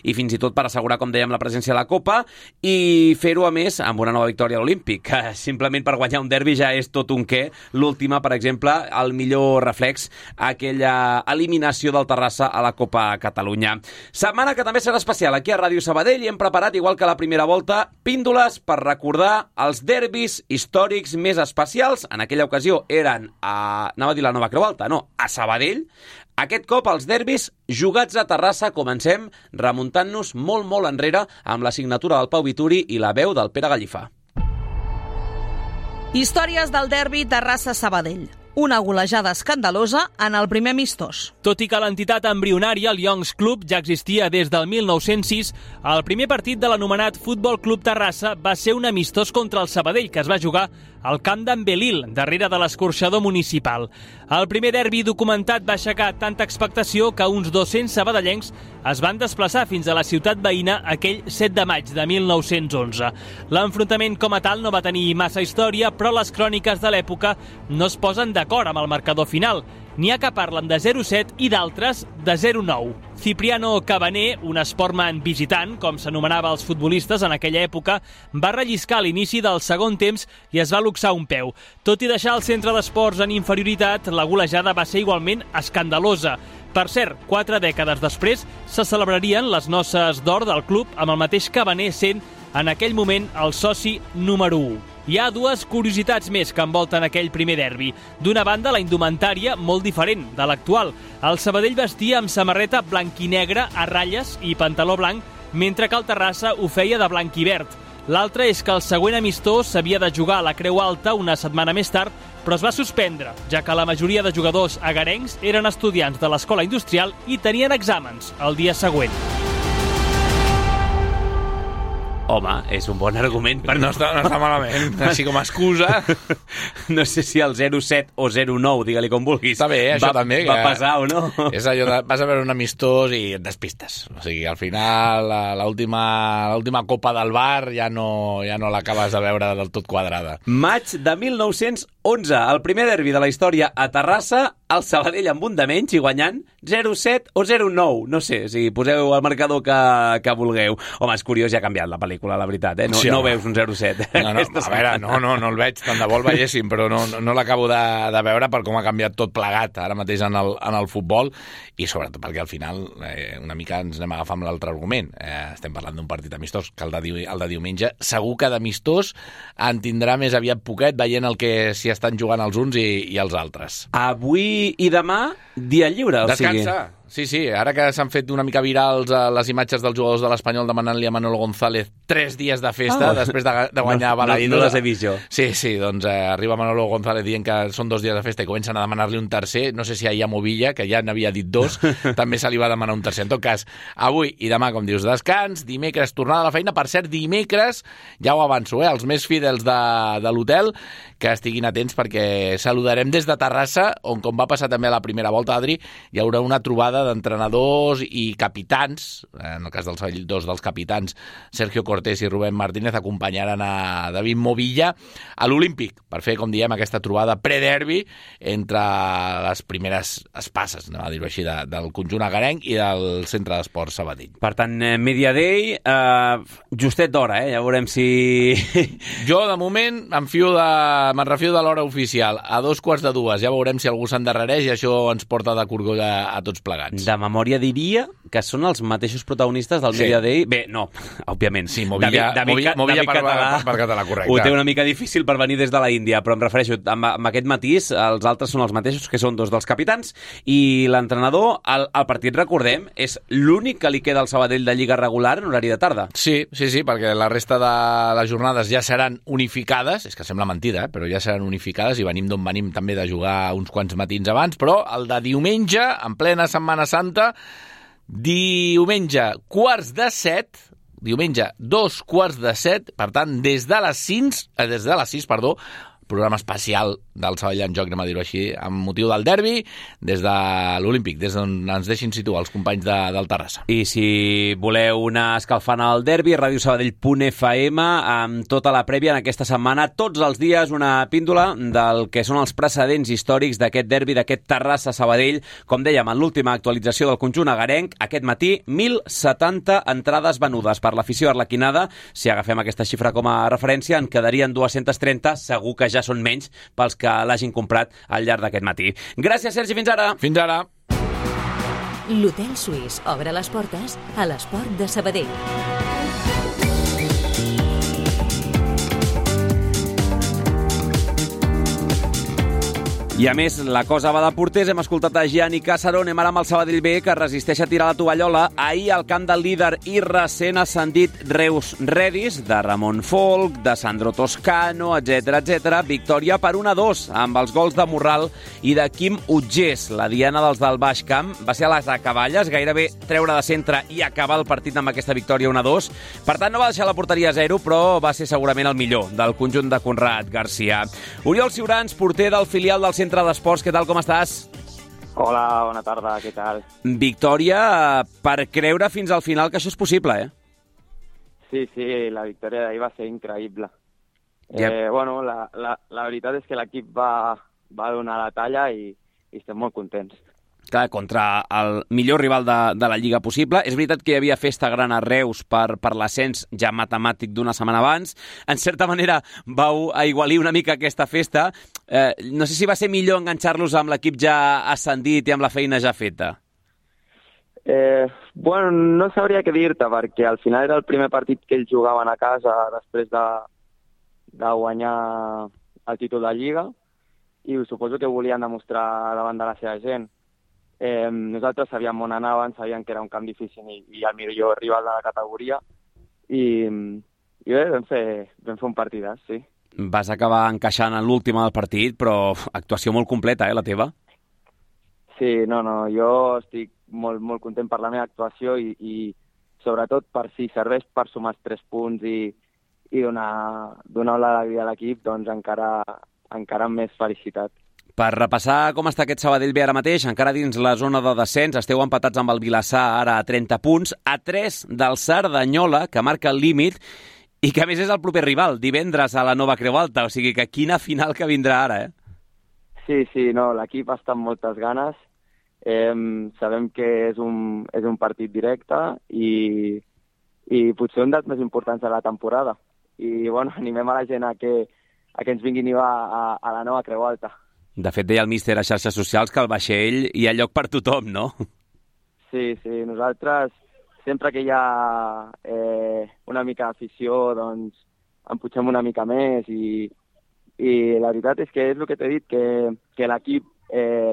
i fins i tot per assegurar, com dèiem, la presència a la Copa i fer-ho a més amb una nova victòria a l'Olímpic, que simplement per guanyar un derbi ja és tot un què. L'última, per exemple, el millor reflex, aquella eliminació del Terrassa a la Copa Catalunya. Setmana que també serà especial aquí a Ràdio Sabadell i hem preparat, igual que la primera volta, píndoles per recordar els derbis històrics més especials. En aquella ocasió eren anava a dir la Nova Creu Alta, no, a Sabadell. Aquest cop els derbis jugats a Terrassa. Comencem remuntant-nos molt, molt enrere amb la signatura del Pau Vituri i la veu del Pere Gallifà. Històries del derbi Terrassa-Sabadell. Una golejada escandalosa en el primer amistós. Tot i que l'entitat embrionària, el Youngs Club, ja existia des del 1906, el primer partit de l'anomenat Futbol Club Terrassa va ser un amistós contra el Sabadell, que es va jugar al camp d'en Belil, darrere de l'escorxador municipal. El primer derbi documentat va aixecar tanta expectació que uns 200 sabadellencs es van desplaçar fins a la ciutat veïna aquell 7 de maig de 1911. L'enfrontament com a tal no va tenir massa història, però les cròniques de l'època no es posen d'acord amb el marcador final. N'hi ha que parlen de 0-7 i d'altres de 0-9. Cipriano Cabané, un esportman visitant, com s'anomenava els futbolistes en aquella època, va relliscar a l'inici del segon temps i es va luxar un peu. Tot i deixar el centre d'esports en inferioritat, la golejada va ser igualment escandalosa. Per cert, 4 dècades després se celebrarien les noces d'or del club amb el mateix Cabané sent en aquell moment el soci número 1. Hi ha dues curiositats més que envolten aquell primer derbi. D'una banda, la indumentària molt diferent de l'actual. El Sabadell vestia amb samarreta blanc i negre a ratlles i pantaló blanc, mentre que el Terrassa ho feia de blanc i verd. L'altre és que el següent amistós s'havia de jugar a la Creu Alta una setmana més tard, però es va suspendre, ja que la majoria de jugadors agarencs eren estudiants de l'escola industrial i tenien exàmens el dia següent. Home, és un bon argument. No està malament, així com a excusa. No sé si el 0-7 o 0-9, digue-li com vulguis. Està bé, això també. Va pesar o no? És allò de, vas a veure un amistós i et despistes. O sigui, al final, l'última copa del bar ja no l'acabes de veure del tot quadrada. Maig de 1911, el primer derbi de la història a Terrassa, el Sabadell amb un de menys i guanyant 0-7 o 0-9. No sé, si poseu el marcador que vulgueu. Home, és curiós, ja ha canviat la pel·lícula, la veritat, eh? No veus un 0-7. A veure, no el veig, tant de bo el veiéssim, però no l'acabo de veure per com ha canviat tot plegat ara mateix en el futbol i sobretot perquè al final una mica ens anem a agafar amb l'altre argument. Estem parlant d'un partit amistós, que el de diumenge segur que d'amistós en tindrà més aviat poquet veient el que s'hi estan jugant els uns i els altres. Avui i demà, dia lliure. Descansa. sí. Ara que s'han fet una mica virals les imatges dels jugadors de l'Espanyol demanant-li a Manolo González 3 dies de festa després de guanyar Balaído. No les he vist jo. Sí, doncs arriba Manolo González dient que són 2 dies de festa i comencen a demanar-li un tercer. No sé si ahir a Movilla, que ja n'havia dit 2, també se li va demanar un tercer. En tot cas, avui i demà, com dius, descans, dimecres tornada a la feina. Per cert, dimecres, ja ho avanço, els més fidels de l'hotel, que estiguin atents perquè saludarem des de Terrassa, on, com va passar també a la primera volta, Adri, hi haurà una trobada d'entrenadors i capitans. En el cas dels 2 dels capitans, Sergio Cortés i Rubén Martínez, acompanyaran a David Movilla a l'Olímpic per fer, com diem, aquesta trobada pre-derbi entre les primeres espasses, no, a dir-ho així, del conjunt agarenc i del Centre d'Esports Sabadell. Per tant, Media Day, justet d'hora, ja veurem si... Jo, de moment, me'n refio de l'hora oficial. A 2:15, ja veurem si algú s'endarrereix i això ens porta de corgolla a tots plegats. De memòria diria que són els mateixos protagonistes del Media Day. Bé, no, òbviament. Sí, Movilla per català, correcte. Ho té una mica difícil per venir des de la Índia, però em refereixo, amb aquest matís, els altres són els mateixos, que són 2 dels capitans, i l'entrenador, el partit, recordem, és l'únic que li queda al Sabadell de Lliga regular en horari de tarda. Sí, perquè la resta de les jornades ja seran unificades, és que sembla mentida, però ja seran unificades i venim d'on venim també de jugar uns quants matins abans, però el de diumenge, en plena Setmana Santa, diumenge 6:15, diumenge 2:15, per tant, des de les 6, programa especial del Sabadell en joc, anem a dir-ho així, amb motiu del derbi, des de l'Olímpic, des d'on ens deixin situar els companys del Terrassa. I si voleu anar escalfant el derbi, radiosabadell.fm, amb tota la prèvia en aquesta setmana, tots els dies una píndola del que són els precedents històrics d'aquest derbi, d'aquest Terrassa-Sabadell. Com dèiem, en l'última actualització del conjunt agarenc, aquest matí, 1.070 entrades venudes per l'afició arlequinada. Si agafem aquesta xifra com a referència, en quedarien 230, segur que ja són menys pels que l'hagin comprat al llarg d'aquest matí. Gràcies, Sergi, fins ara. Fins ara. L'Hotel Suís obre les portes a l'Esport de Sabadell. I a més, la cosa va de porters. Hem escoltat a Gianni Casaro. Anem ara amb el Sabadell B, que resisteix a tirar la tovallola. Ahir, al camp del líder i recent ascendit Reus Redis, de Ramon Folk, de Sandro Toscano, etc. Victòria per 1-2, amb els gols de Morral i de Quim Utgés. La diana dels del Baix Camp va ser a les acaballes, gairebé treure de centre i acabar el partit amb aquesta victòria 1-2. Per tant, no va deixar la porteria a 0, però va ser segurament el millor del conjunt de Conrad Garcia. Oriol Ciurans, porter del filial del Centre d'Esports, què tal, com estàs? Hola, bona tarda, què tal? Victòria per creure fins al final que això és possible, eh? Sí, la victòria d'ahir va ser increïble. Yep. Bueno, la veritat és que l'equip va donar la talla i estem molt contents. Clar, contra el millor rival de la Lliga possible. És veritat que hi havia festa gran a Reus per l'ascens ja matemàtic d'una setmana abans. En certa manera vau aigualir una mica aquesta festa. No sé si va ser millor enganxar-los amb l'equip ja ascendit i amb la feina ja feta. Bueno, no sabria què dir-te, perquè al final era el primer partit que ells jugaven a casa després de guanyar el títol de Lliga i suposo que volien demostrar davant de la seva gent. Nosaltres sabíem on anaven, sabíem que era un camp difícil i el millor rival de la categoria i bé, vam fer un partidàs, sí. Vas acabar encaixant en l'última del partit, però actuació molt completa, la teva? Sí, no, jo estic molt, molt content per la meva actuació i sobretot per si serveix per sumar 3 punts i donar l'alegria a l'equip, doncs encara amb més felicitat. Per repassar com està aquest Sabadell B ara mateix, encara dins la zona de descens, esteu empatats amb el Vilassar ara a 30 punts, a 3 del Cerdanyola, que marca el límit, i que a més és el proper rival, divendres a la Nova Creu Alta, o sigui que quina final que vindrà ara, eh? Sí, no, l'equip està amb moltes ganes, sabem que és un partit directe i potser un dels més importants de la temporada. I, bueno, animem a la gent a que ens vinguin a la Nova Creu Alta. De fet, deia el míster a xarxes socials que al vaixell hi ha lloc per tothom, no? Sí, nosaltres, sempre que hi ha una mica d'afició, doncs emputxem una mica més i la veritat és que és el que t'he dit, que l'equip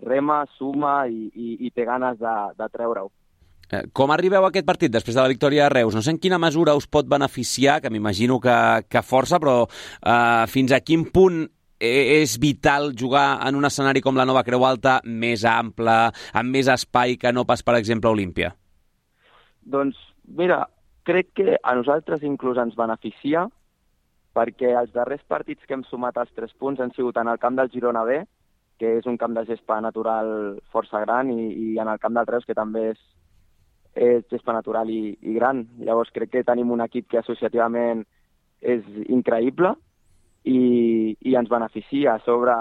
rema, suma i té ganes de treure-ho. Com arribeu a aquest partit després de la victòria a Reus? No sé en quina mesura us pot beneficiar, que m'imagino que força, però fins a quin punt és vital jugar en un escenari com la Nova Creu Alta, més ample, amb més espai que no pas, per exemple, a Olímpia? Doncs, mira, crec que a nosaltres inclús ens beneficia, perquè els darrers partits que hem sumat els 3 punts han sigut en el camp del Girona B, que és un camp de gespa natural força gran, i en el camp del Reus, que també és gespa natural i gran. Llavors crec que tenim un equip que associativament és increïble i ens beneficia. A sobre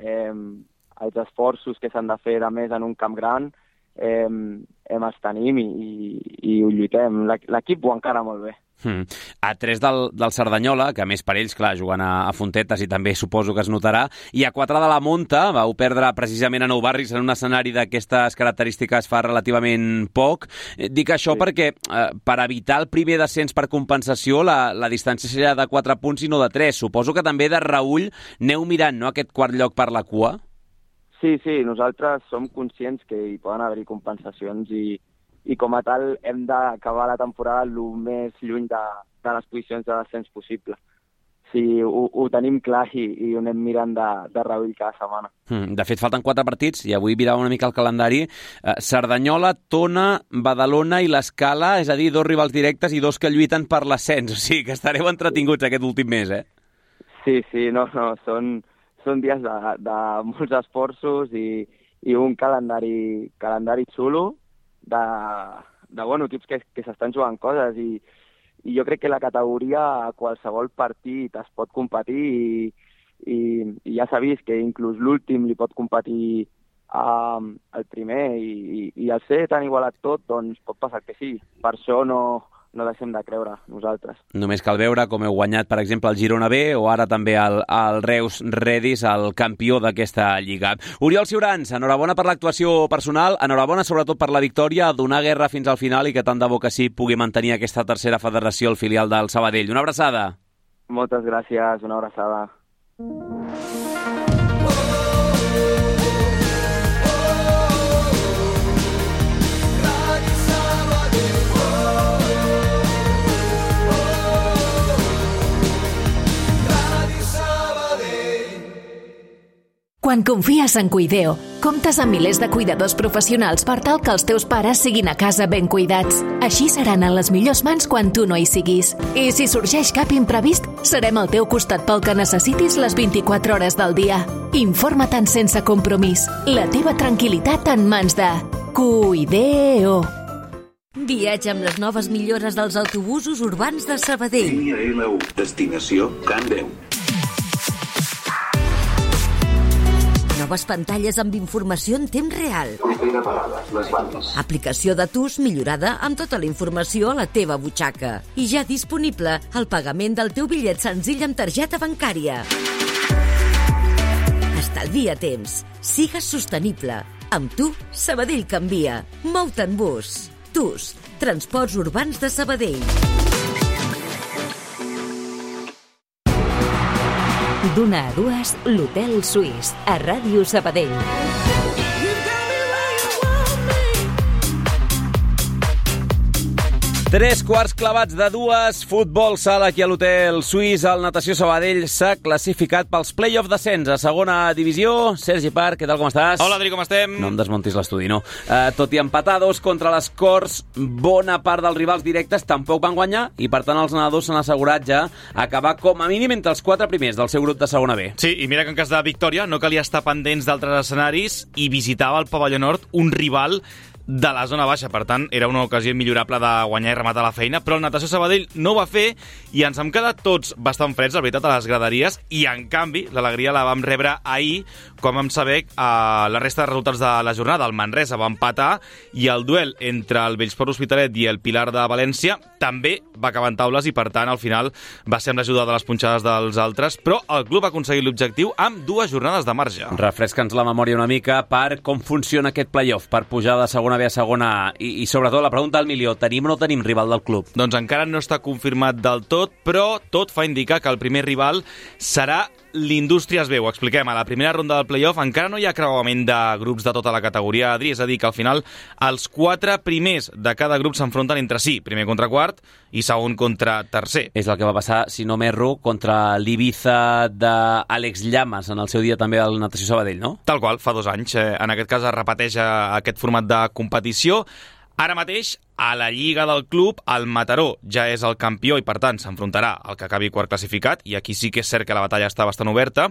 els esforços que s'han de fer de més en un camp gran els tenim i ho lluitem. L'equip ho encara molt bé. A 3 del Cerdanyola, que a més per ells, clar, jugant a Fontetes i també suposo que es notarà, i a 4 de la Monta, vau perdre precisament a Nou Barris en un escenari d'aquestes característiques fa relativament poc. Dic això perquè per evitar el primer descens per compensació la distància seria de 4 punts i no de 3. Suposo que també de reüll aneu mirant, no?, aquest quart lloc per la cua? Sí, nosaltres som conscients que hi poden haver-hi compensacions i com a tal hem d'acabar la temporada el més lluny de les posicions de descens possible. Sí, ho tenim clar i ho anem mirant de reüll cada setmana. De fet, falten 4 partits i avui mirava una mica el calendari. Cerdanyola, Tona, Badalona i l'Escala, és a dir, 2 rivals directes i 2 que lluiten per l'ascens. O sigui que estareu entretinguts aquest últim mes, eh? Sí, no, són dies de molts esforços i un calendari xulo, de equips que s'estan jugant coses i jo crec que la categoria a qualsevol partit es pot competir i ja s'ha vist que inclús l'últim li pot competir al primer i al ser tan igualat tot, doncs pot passar que sí. Per això no deixem de creure nosaltres. Només cal veure com heu guanyat, per exemple, el Girona B o ara també el Reus Redis, el campió d'aquesta lliga. Oriol Ciurans, enhorabona per l'actuació personal, enhorabona sobretot per la victòria, donar guerra fins al final i que tant de bo que sí pugui mantenir aquesta tercera federació, el filial del Sabadell. Una abraçada. Moltes gràcies, una abraçada. Quan confies en Cuideo, comptes amb milers de cuidadors professionals per tal que els teus pares siguin a casa ben cuidats. Així seran en les millors mans quan tu no hi siguis. I si sorgeix cap imprevist, serem al teu costat pel que necessitis les 24 hores del dia. Informa-te'n sense compromís. La teva tranquil·litat en mans de Cuideo. Viatja amb les noves millores dels autobusos urbans de Sabadell. Línia L1, destinació Can Déu. Noves pantalles amb informació en temps real. Propera parada, les bandes. Aplicació de TUS millorada amb tota la informació a la teva butxaca. I ja disponible el pagament del teu bitllet senzill amb targeta bancària. Estalvia temps. Sigues sostenible. Amb tu, Sabadell canvia. Mou-te en bus. TUS, Transports Urbans de Sabadell. D'una a dues, l'Hotel Suís, a Ràdio Sabadell. 3 quarts clavats de 2, futbol sala aquí a l'Hotel Suís. El Natació Sabadell s'ha classificat pels play-off descens a segona divisió. Sergi Parc, què tal, com estàs? Hola, Adri, com estem? No em desmontis l'estudi, no. Tot i empatar 2 contra les Corts, bona part dels rivals directes tampoc van guanyar i, per tant, els nedadors s'han assegurat ja acabar com a mínim entre els 4 primers del seu grup de segona B. Sí, i mira que en cas de victòria no calia estar pendents d'altres escenaris i visitava el pavelló nord un rival de la zona baixa, per tant era una ocasió millorable de guanyar i rematar la feina, però el Natació Sabadell no ho va fer i ens hem quedat tots bastant freds, la veritat, a les graderies, i en canvi l'alegria la vam rebre ahir quan vam saber la resta de resultats de la jornada. El Manresa va empatar i el duel entre el Bellsport Hospitalet i el Pilar de València també va acabar en taules i, per tant, al final va ser amb l'ajuda de les punxades dels altres, però el club va aconseguir l'objectiu amb 2 jornades de marge. Refresca'ns la memòria una mica per com funciona aquest play-off, per pujar de segona B a segona A. I sobretot la pregunta al milió, tenim o no tenim rival del club? Doncs encara no està confirmat del tot, però tot fa indicar que el primer rival serà l'Indústries B. Ho expliquem. A la primera ronda del play-off encara no hi ha creuament de grups de tota la categoria, Adri, és a dir, que al final els 4 primers de cada grup s'enfronten entre si, primer contra quart i segon contra tercer. És el que va passar, si no m'erro, contra l'Ibiza d'Àlex Llamas, en el seu dia també al Natació Sabadell, no? Tal qual, fa 2 anys. En aquest cas es repeteix aquest format de competició. Ara mateix, a la Lliga del club, el Mataró ja és el campió i, per tant, s'enfrontarà al que acabi quart classificat, i aquí sí que és cert que la batalla està bastant oberta.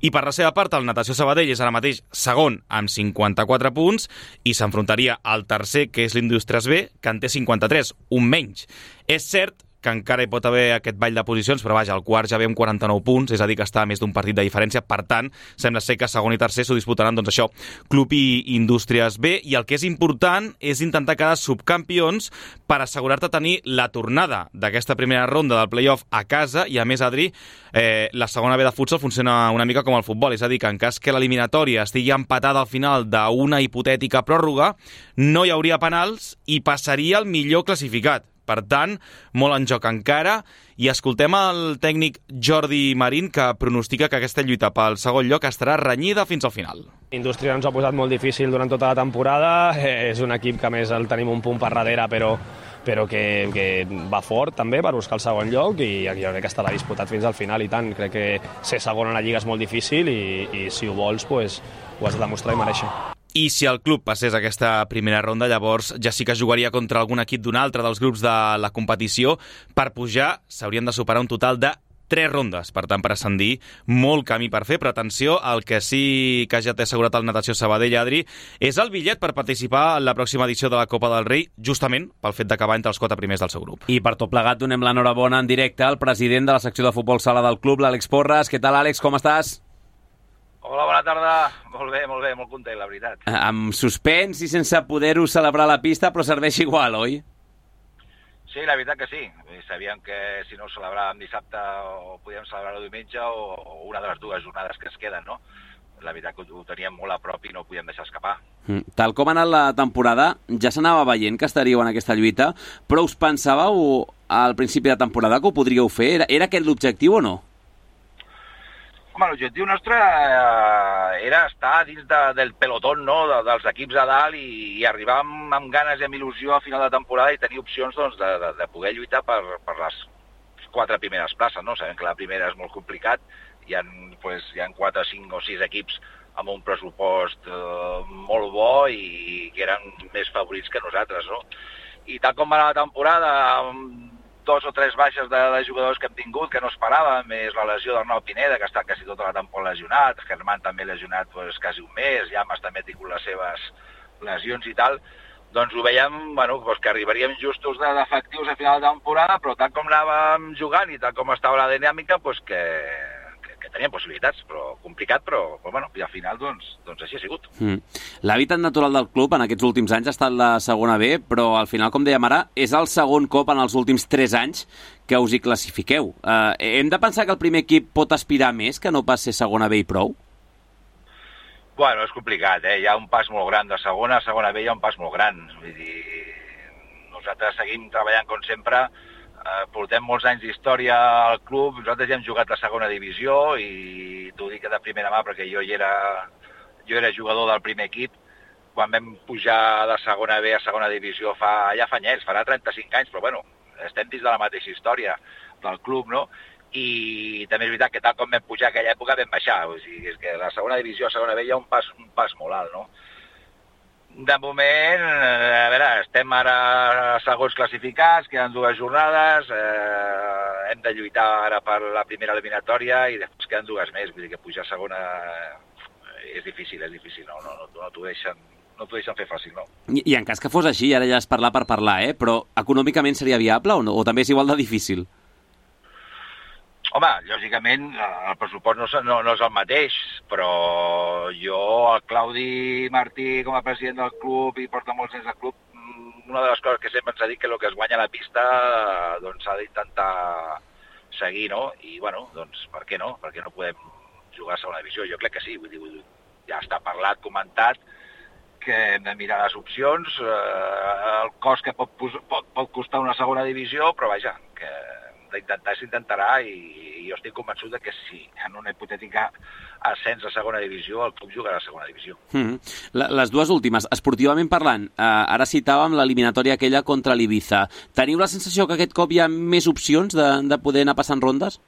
I per la seva part, el Natació Sabadell és ara mateix segon amb 54 punts i s'enfrontaria al tercer, que és l'Indústries B, que en té 53, un menys. És cert que encara hi pot haver aquest ball de posicions, però vaja, el quart ja ve amb 49 punts, és a dir, que està a més d'un partit de diferència. Per tant, sembla ser que segon i tercer s'ho disputaran, doncs això, Club i Indústries B, i el que és important és intentar quedar subcampions per assegurar-te tenir la tornada d'aquesta primera ronda del play-off a casa, i a més, Adri, la segona B de futsal funciona una mica com el futbol, és a dir, que en cas que l'eliminatòria estigui empatada al final d'una hipotètica pròrroga, no hi hauria penals i passaria el millor classificat. Per tant, molt en joc encara, i escoltem el tècnic Jordi Marín, que pronostica que aquesta lluita pel segon lloc estarà renyida fins al final. Indústria ens ha posat molt difícil durant tota la temporada, és un equip que a més el tenim un punt per darrere, però que va fort també per buscar el segon lloc, i jo crec que estarà disputat fins al final, i tant. Crec que ser segon a la Lliga és molt difícil, i si ho vols, pues, ho has de demostrar i mereixer. I si el club passés aquesta primera ronda, llavors ja sí que jugaria contra algun equip d'un altre dels grups de la competició. Per pujar s'haurien de superar un total de 3 rondes, per tant, per ascendir, molt camí per fer, però atenció, el que sí que ja té assegurat el Natació Sabadell, Adri, és el bitllet per participar en la pròxima edició de la Copa del Rei, justament pel fet d'acabar entre els 4 primers del seu grup. I per tot plegat donem l'enhorabona en directe al president de la secció de futbol sala del club, l'Àlex Porras. Què tal, Àlex, com estàs? Hola, bona tarda. Molt bé, molt content, la veritat. Amb suspens i sense poder-ho celebrar a la pista, però serveix igual, oi? Sí, la veritat que sí. Sabíem que si no ho celebràvem dissabte o podíem celebrar-ho diumenge o una de les 2 jornades que es queden, no? La veritat que ho teníem molt a prop i no ho podíem deixar escapar. Tal com ha anat la temporada, ja s'anava veient que estaríeu en aquesta lluita, però us pensàveu al principi de temporada que ho podríeu fer? Era aquest l'objectiu o no? Home, l'objectiu nostre era estar dins del pelotón, no?, dels equips a dalt i arribar amb ganes i amb il·lusió a final de temporada i tenir opcions, doncs, de poder lluitar per les 4 primeres places, no? Sabem que la primera és molt complicat, hi ha 4, 5 o 6 equips amb un pressupost molt bo i que eren més favorits que nosaltres, no? I tal com va anar la temporada, amb 2 o 3 baixes de jugadors que hem tingut, que no esperàvem, més la lesió d'Arnau Pineda, que ha estat quasi tota la temporada lesionat, Germán també lesionat quasi un mes, Llamas també ha tingut les seves lesions i tal, doncs ho veiem que arribaríem justos d'efectius a final de temporada, però tal com anàvem jugant i tal com estava la dinàmica, que teníem possibilitats, però complicat, però i al final doncs així ha sigut. L'hàbitat natural del club en aquests últims anys ha estat la segona B, però al final, com dèiem ara, és el segon cop en els últims 3 anys que us hi classifiqueu. Hem de pensar que el primer equip pot aspirar més que no pas ser segona B i prou? Bueno, és complicat, hi ha un pas molt gran de segona a segona B, hi ha un pas molt gran. Vull dir, nosaltres seguim treballant com sempre, portem molts anys d'història al club, nosaltres ja hem jugat a segona divisió i t'ho dic de primera mà perquè jo era jugador del primer equip quan vam pujar de segona B a segona divisió ja fa anyets, farà 35 anys, però estem dins de la mateixa història del club, no? I també és veritat que tal com vam pujar a aquella època vam baixar, o sigui, és que de segona divisió a segona B hi ha un pas molt alt, no? De moment, a veure, estem ara segons classificats, queden 2 jornades, hem de lluitar ara per la primera eliminatòria i després queden 2 més, vull dir que pujar a segona és difícil, no t'ho deixen fer fàcil, no. I en cas que fos així, ara ja és parlar per parlar, però econòmicament seria viable o no? O també és igual de difícil? Home, lògicament el pressupost no és el mateix, però jo, el Claudi Martí, com a president del club i porta molts anys al club, una de les coses que sempre ens ha dit que el que es guanya a la pista doncs s'ha d'intentar seguir, no? I, doncs, per què no? Per què no podem jugar a segona divisió? Jo crec que sí, vull dir, ja està parlat, comentat, que hem de mirar les opcions, el cost que pot costar una segona divisió, però vaja, que d'intentar s'intentarà i jo estic convençut de que si en una hipotètica ascens a segona divisió, el club jugarà a segona divisió. Les dues últimes, esportivament parlant, ara citàvem l'eliminatòria aquella contra l'Ibiza. Teniu la sensació que aquest cop hi ha més opcions de poder anar passant rondes?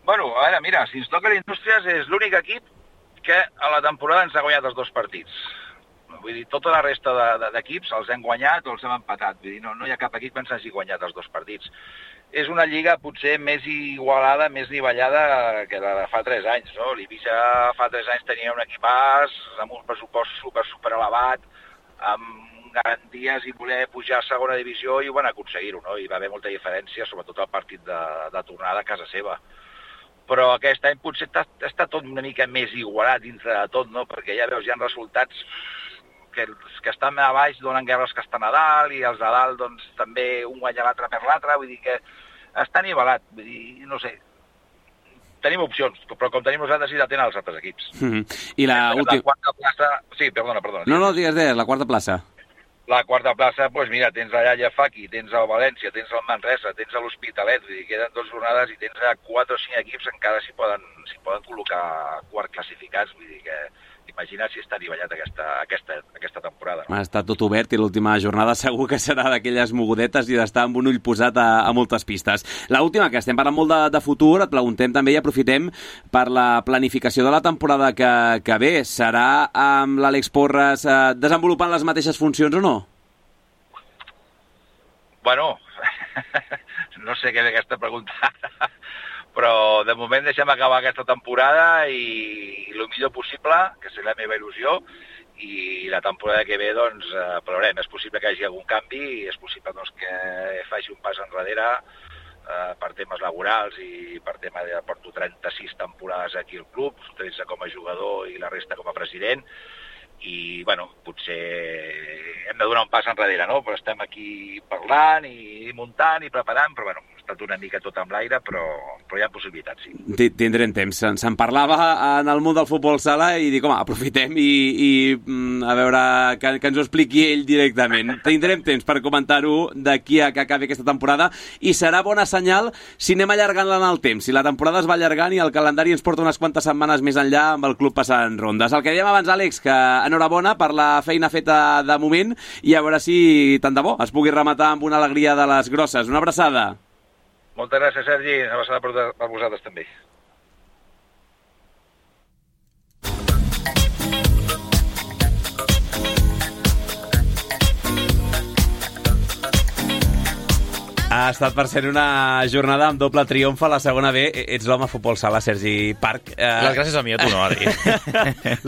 Bueno, a veure, mira, si ens toca l'Indústries és l'únic equip que a la temporada ens ha guanyat els 2 partits. Vull dir, tota la resta d'equips els hem guanyat o els hem empatat. Vull dir, no hi ha cap equip que ens hagi guanyat els 2 partits. És una lliga potser més igualada, més nivellada que la de fa 3 anys, no? L'Ibiza fa 3 anys tenia un equipàs amb un pressupost super elevat, amb garanties i voler pujar a segona divisió i ho van aconseguir-ho, no? Hi va haver molta diferència, sobretot al partit de tornada a casa seva. Però aquest any potser està tot una mica més igualat dintre de tot, no? Perquè ja veus, hi ha resultats que els que estan a baix donen guerra als que estan a dalt i els de dalt doncs també un guanya l'altre per l'altre, vull dir que està nivelat, vull dir, no sé. Tenim opcions, però com tenim nosaltres sí la tenen els altres equips. I la quarta plaça... Sí, perdona. No, digues, la quarta plaça. La quarta plaça, doncs mira, tens el Llafaqui, tens el València, tens el Manresa, tens l'Hospitalet, vull dir, queden 2 jornades i tens 4 o 5 equips que encara s'hi poden col·locar quart classificats, vull dir que imagina't si està nivellat aquesta temporada. No? Està tot obert i l'última jornada segur que serà d'aquelles mogudetes i d'estar amb un ull posat a moltes pistes. L'última, que estem parlant molt de futur, et preguntem també i aprofitem per la planificació de la temporada que ve. Serà amb l'Àlex Porras desenvolupant les mateixes funcions o no? Bueno, no sé què és aquesta pregunta, però de moment deixem acabar aquesta temporada i el millor possible, que serà la meva il·lusió, i la temporada que ve doncs veurem. És possible que hi hagi algun canvi, és possible doncs, que faci un pas enrere per temes laborals i per tema de porto 36 temporades aquí al club, 13 com a jugador i la resta com a president, i bueno, potser hem de donar un pas enrere, no? Però estem aquí parlant i muntant i preparant, però bueno, ha estat una mica tot amb l'aire, però hi ha possibilitats, sí. Tindrem temps. Se'n parlava en el món del futbol sala i dic, home, aprofitem i a veure que ens ho expliqui ell directament. Tindrem temps per comentar-ho d'aquí a que acabi aquesta temporada i serà bona senyal si anem allargant-la en el temps, si la temporada es va allargant i el calendari ens porta unes quantes setmanes més enllà amb el club passant rondes. El que dèiem abans, Àlex, que enhorabona per la feina feta de moment i a veure si, tant de bo, es pugui rematar amb una alegria de les grosses. Una abraçada. Moltes gràcies, Sergi. Una abraçada per vosaltres també. Ha estat per ser una jornada amb doble triomf a la segona B. Ets l'home futbol sala, Sergi Parc. Les gràcies a mi, a tu no, Adri.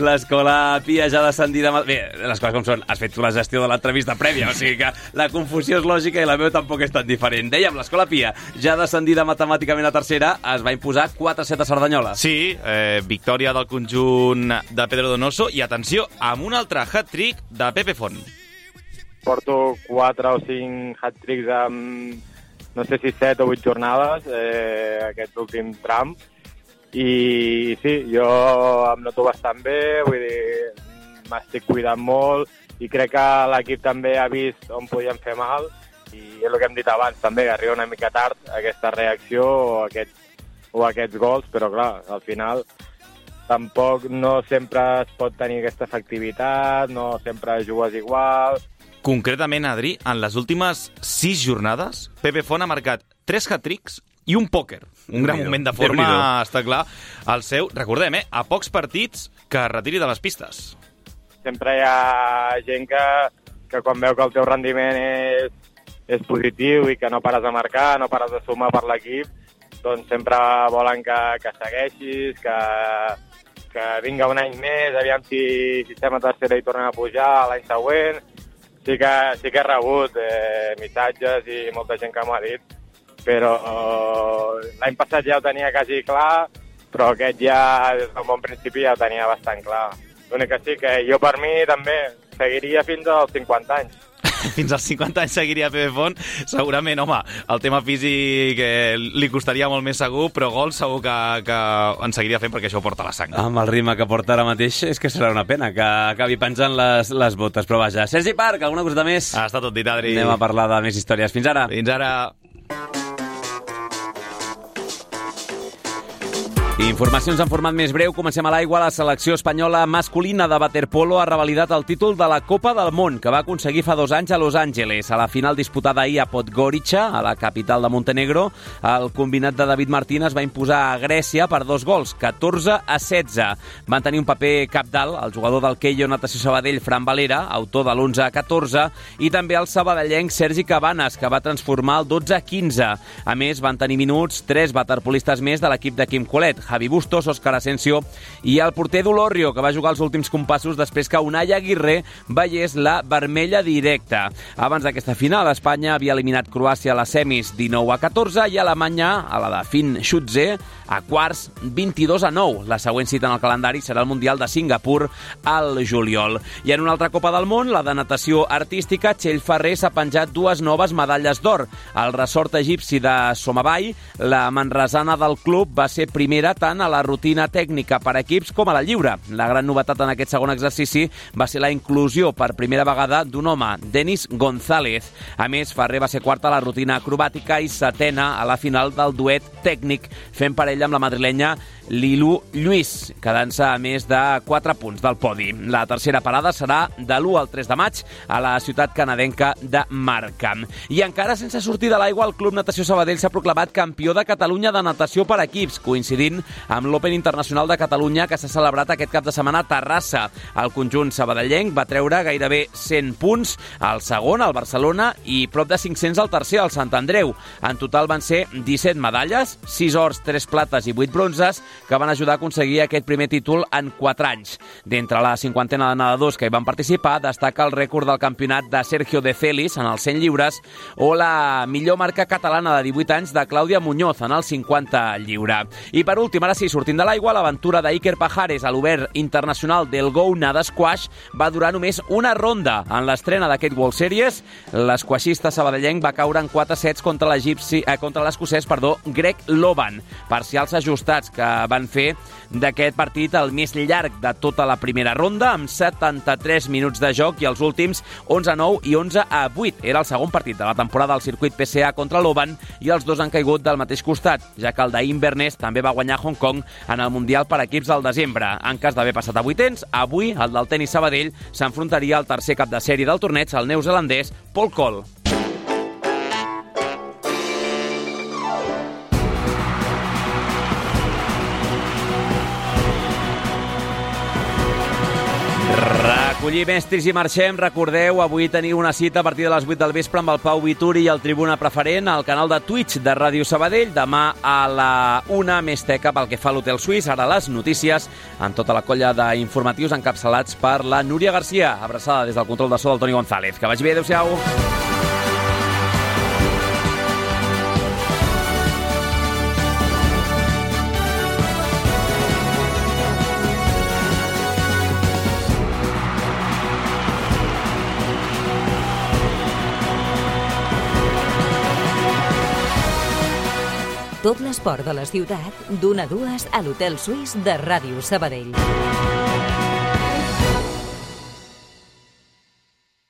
L'Escola Pia ja descendida... Bé, les coses com són. Has fet tu la gestió de l'entrevista prèvia, o sigui que la confusió és lògica i la meva tampoc és tan diferent. Dèiem, l'Escola Pia, ja descendida matemàticament a tercera, es va imposar 4-7 a Cerdanyola. Sí, victòria del conjunt de Pedro Donoso i, atenció, amb un altre hat-trick de Pepe Font. Porto 4 o 5 hat-tricks amb... no sé si 7 o 8 jornades, aquest últim tram. I sí, jo em noto bastant bé, vull dir, m'estic cuidant molt i crec que l'equip també ha vist on podíem fer mal i és el que hem dit abans també, arriba una mica tard aquesta reacció o aquests gols, però clar, al final tampoc no sempre es pot tenir aquesta efectivitat, no sempre jugues igual. Concretament, Adri, en les últimes 6 jornades, Pepe Font ha marcat 3 hat-tricks i un pòquer. Un gran moment de forma, està clar, el seu. Recordem, a pocs partits que es retiri de les pistes. Sempre hi ha gent que quan veu que el teu rendiment és positiu i que no pares de marcar, no pares de sumar per l'equip, doncs sempre volen que segueixis, que vinga un any més, aviam si estem a tercera i tornem a pujar l'any següent. Sí que he rebut missatges i molta gent que m'ha dit, però l'any passat ja ho tenia quasi clar, però aquest ja des del bon principi ja ho tenia bastant clar. L'únic que sí que jo per mi també seguiria fins als 50 anys. Fins als 50 anys seguiria Pepe Font. Segurament, home, el tema físic li costaria molt més segur, però gol segur que en seguiria fent perquè això ho porta a la sang. Amb el ritme que porta ara mateix és que serà una pena que acabi penjant les botes, però vaja. Sergi Parc, alguna cosa més? Està tot dit, Adri. Anem a parlar de més històries. Fins ara. Fins ara. Informacions en format més breu. Comencem a l'aigua. La selecció espanyola masculina de waterpolo ha revalidat el títol de la Copa del Món, que va aconseguir fa 2 anys a Los Angeles. A la final disputada ahir a Podgorica, a la capital de Montenegro, el combinat de David Martín es va imposar a Grècia per 2 gols, 14-16. Van tenir un paper cabdal el jugador del Keio Natació Sabadell, Fran Valera, autor de l'11-14, i també el sabadellenc Sergi Cabanes, que va transformar el 12-15. A més, van tenir minuts 3 waterpolistes més de l'equip de Quim Colet, Javi Bustos, Òscar Asensio i el porter d'Olorrio, que va jugar els últims compassos després que Unai Aguirre veiés la vermella directa. Abans d'aquesta final, Espanya havia eliminat Croàcia a les semis 19-14 i Alemanya, a la de Finn Schutze, a quarts 22-9. La següent cita en el calendari serà el Mundial de Singapur al juliol. I en una altra Copa del Món, la de natació artística, Txell Ferrer s'ha penjat 2 noves medalles d'or. Al ressort egipci de Somavai, la manresana del club va ser primera tant a la rutina tècnica per equips com a la lliure. La gran novetat en aquest segon exercici va ser la inclusió per primera vegada d'un home, Denis González. A més, Ferrer va ser quarta a la rutina acrobàtica i setena a la final del duet tècnic, fent parella amb la madrilenya Lilu Lluís, quedant-se a més de 4 punts del podi. La tercera parada serà de l'1 al 3 de maig a la ciutat canadenca de Markham. I encara sense sortir de l'aigua, el Club Natació Sabadell s'ha proclamat campió de Catalunya de natació per equips, coincidint amb l'Open Internacional de Catalunya que s'ha celebrat aquest cap de setmana a Terrassa. El conjunt sabadellenc va treure gairebé 100 punts al segon, al Barcelona, i prop de 500 al tercer, al Sant Andreu. En total van ser 17 medalles, 6 ors, 3 plates i 8 bronzes, que van ajudar a aconseguir aquest primer títol en 4 anys. D'entre la 50ena de nedadors que hi van participar, destaca el rècord del campionat de Sergio de Celis en els 100 lliures o la millor marca catalana de 18 anys de Clàudia Muñoz en els 50 lliure. I per últim, ara sí, sortint de l'aigua, l'aventura d'Iker Pajares a l'Obert Internacional del Go Nada Squash va durar només una ronda. En l'estrena d'aquest World Series, l'esquaixista sabadellenc va caure en 4 sets contra l'escocès Greg Loban. Parcials ajustats que van fer d'aquest partit el més llarg de tota la primera ronda, amb 73 minuts de joc i els últims 11-9 i 11-8. Era el segon partit de la temporada al circuit PCA contra l'Oban i els dos han caigut del mateix costat, ja que el d'Inverness també va guanyar Hong Kong en el Mundial per equips del desembre. En cas d'haver passat a vuitens, avui el del tenis Sabadell s'enfrontaria al tercer cap de sèrie del torneig, el neozelandès Paul Cole. Recollir mestres i marxem. Recordeu, avui teniu una cita a partir de les 8 del vespre amb el Pau Vituri i el Tribuna Preferent al canal de Twitch de Ràdio Sabadell. Demà a la 1, més teca pel que fa a l'Hotel Suís. Ara les notícies amb tota la colla d'informatius encapçalats per la Núria Garcia. Abraçada des del control de so del Toni González. Que vagi bé, adéu-siau. Tot l'esport de la ciutat, d'1 a 2 a l'Hotel Suís de Ràdio Sabadell.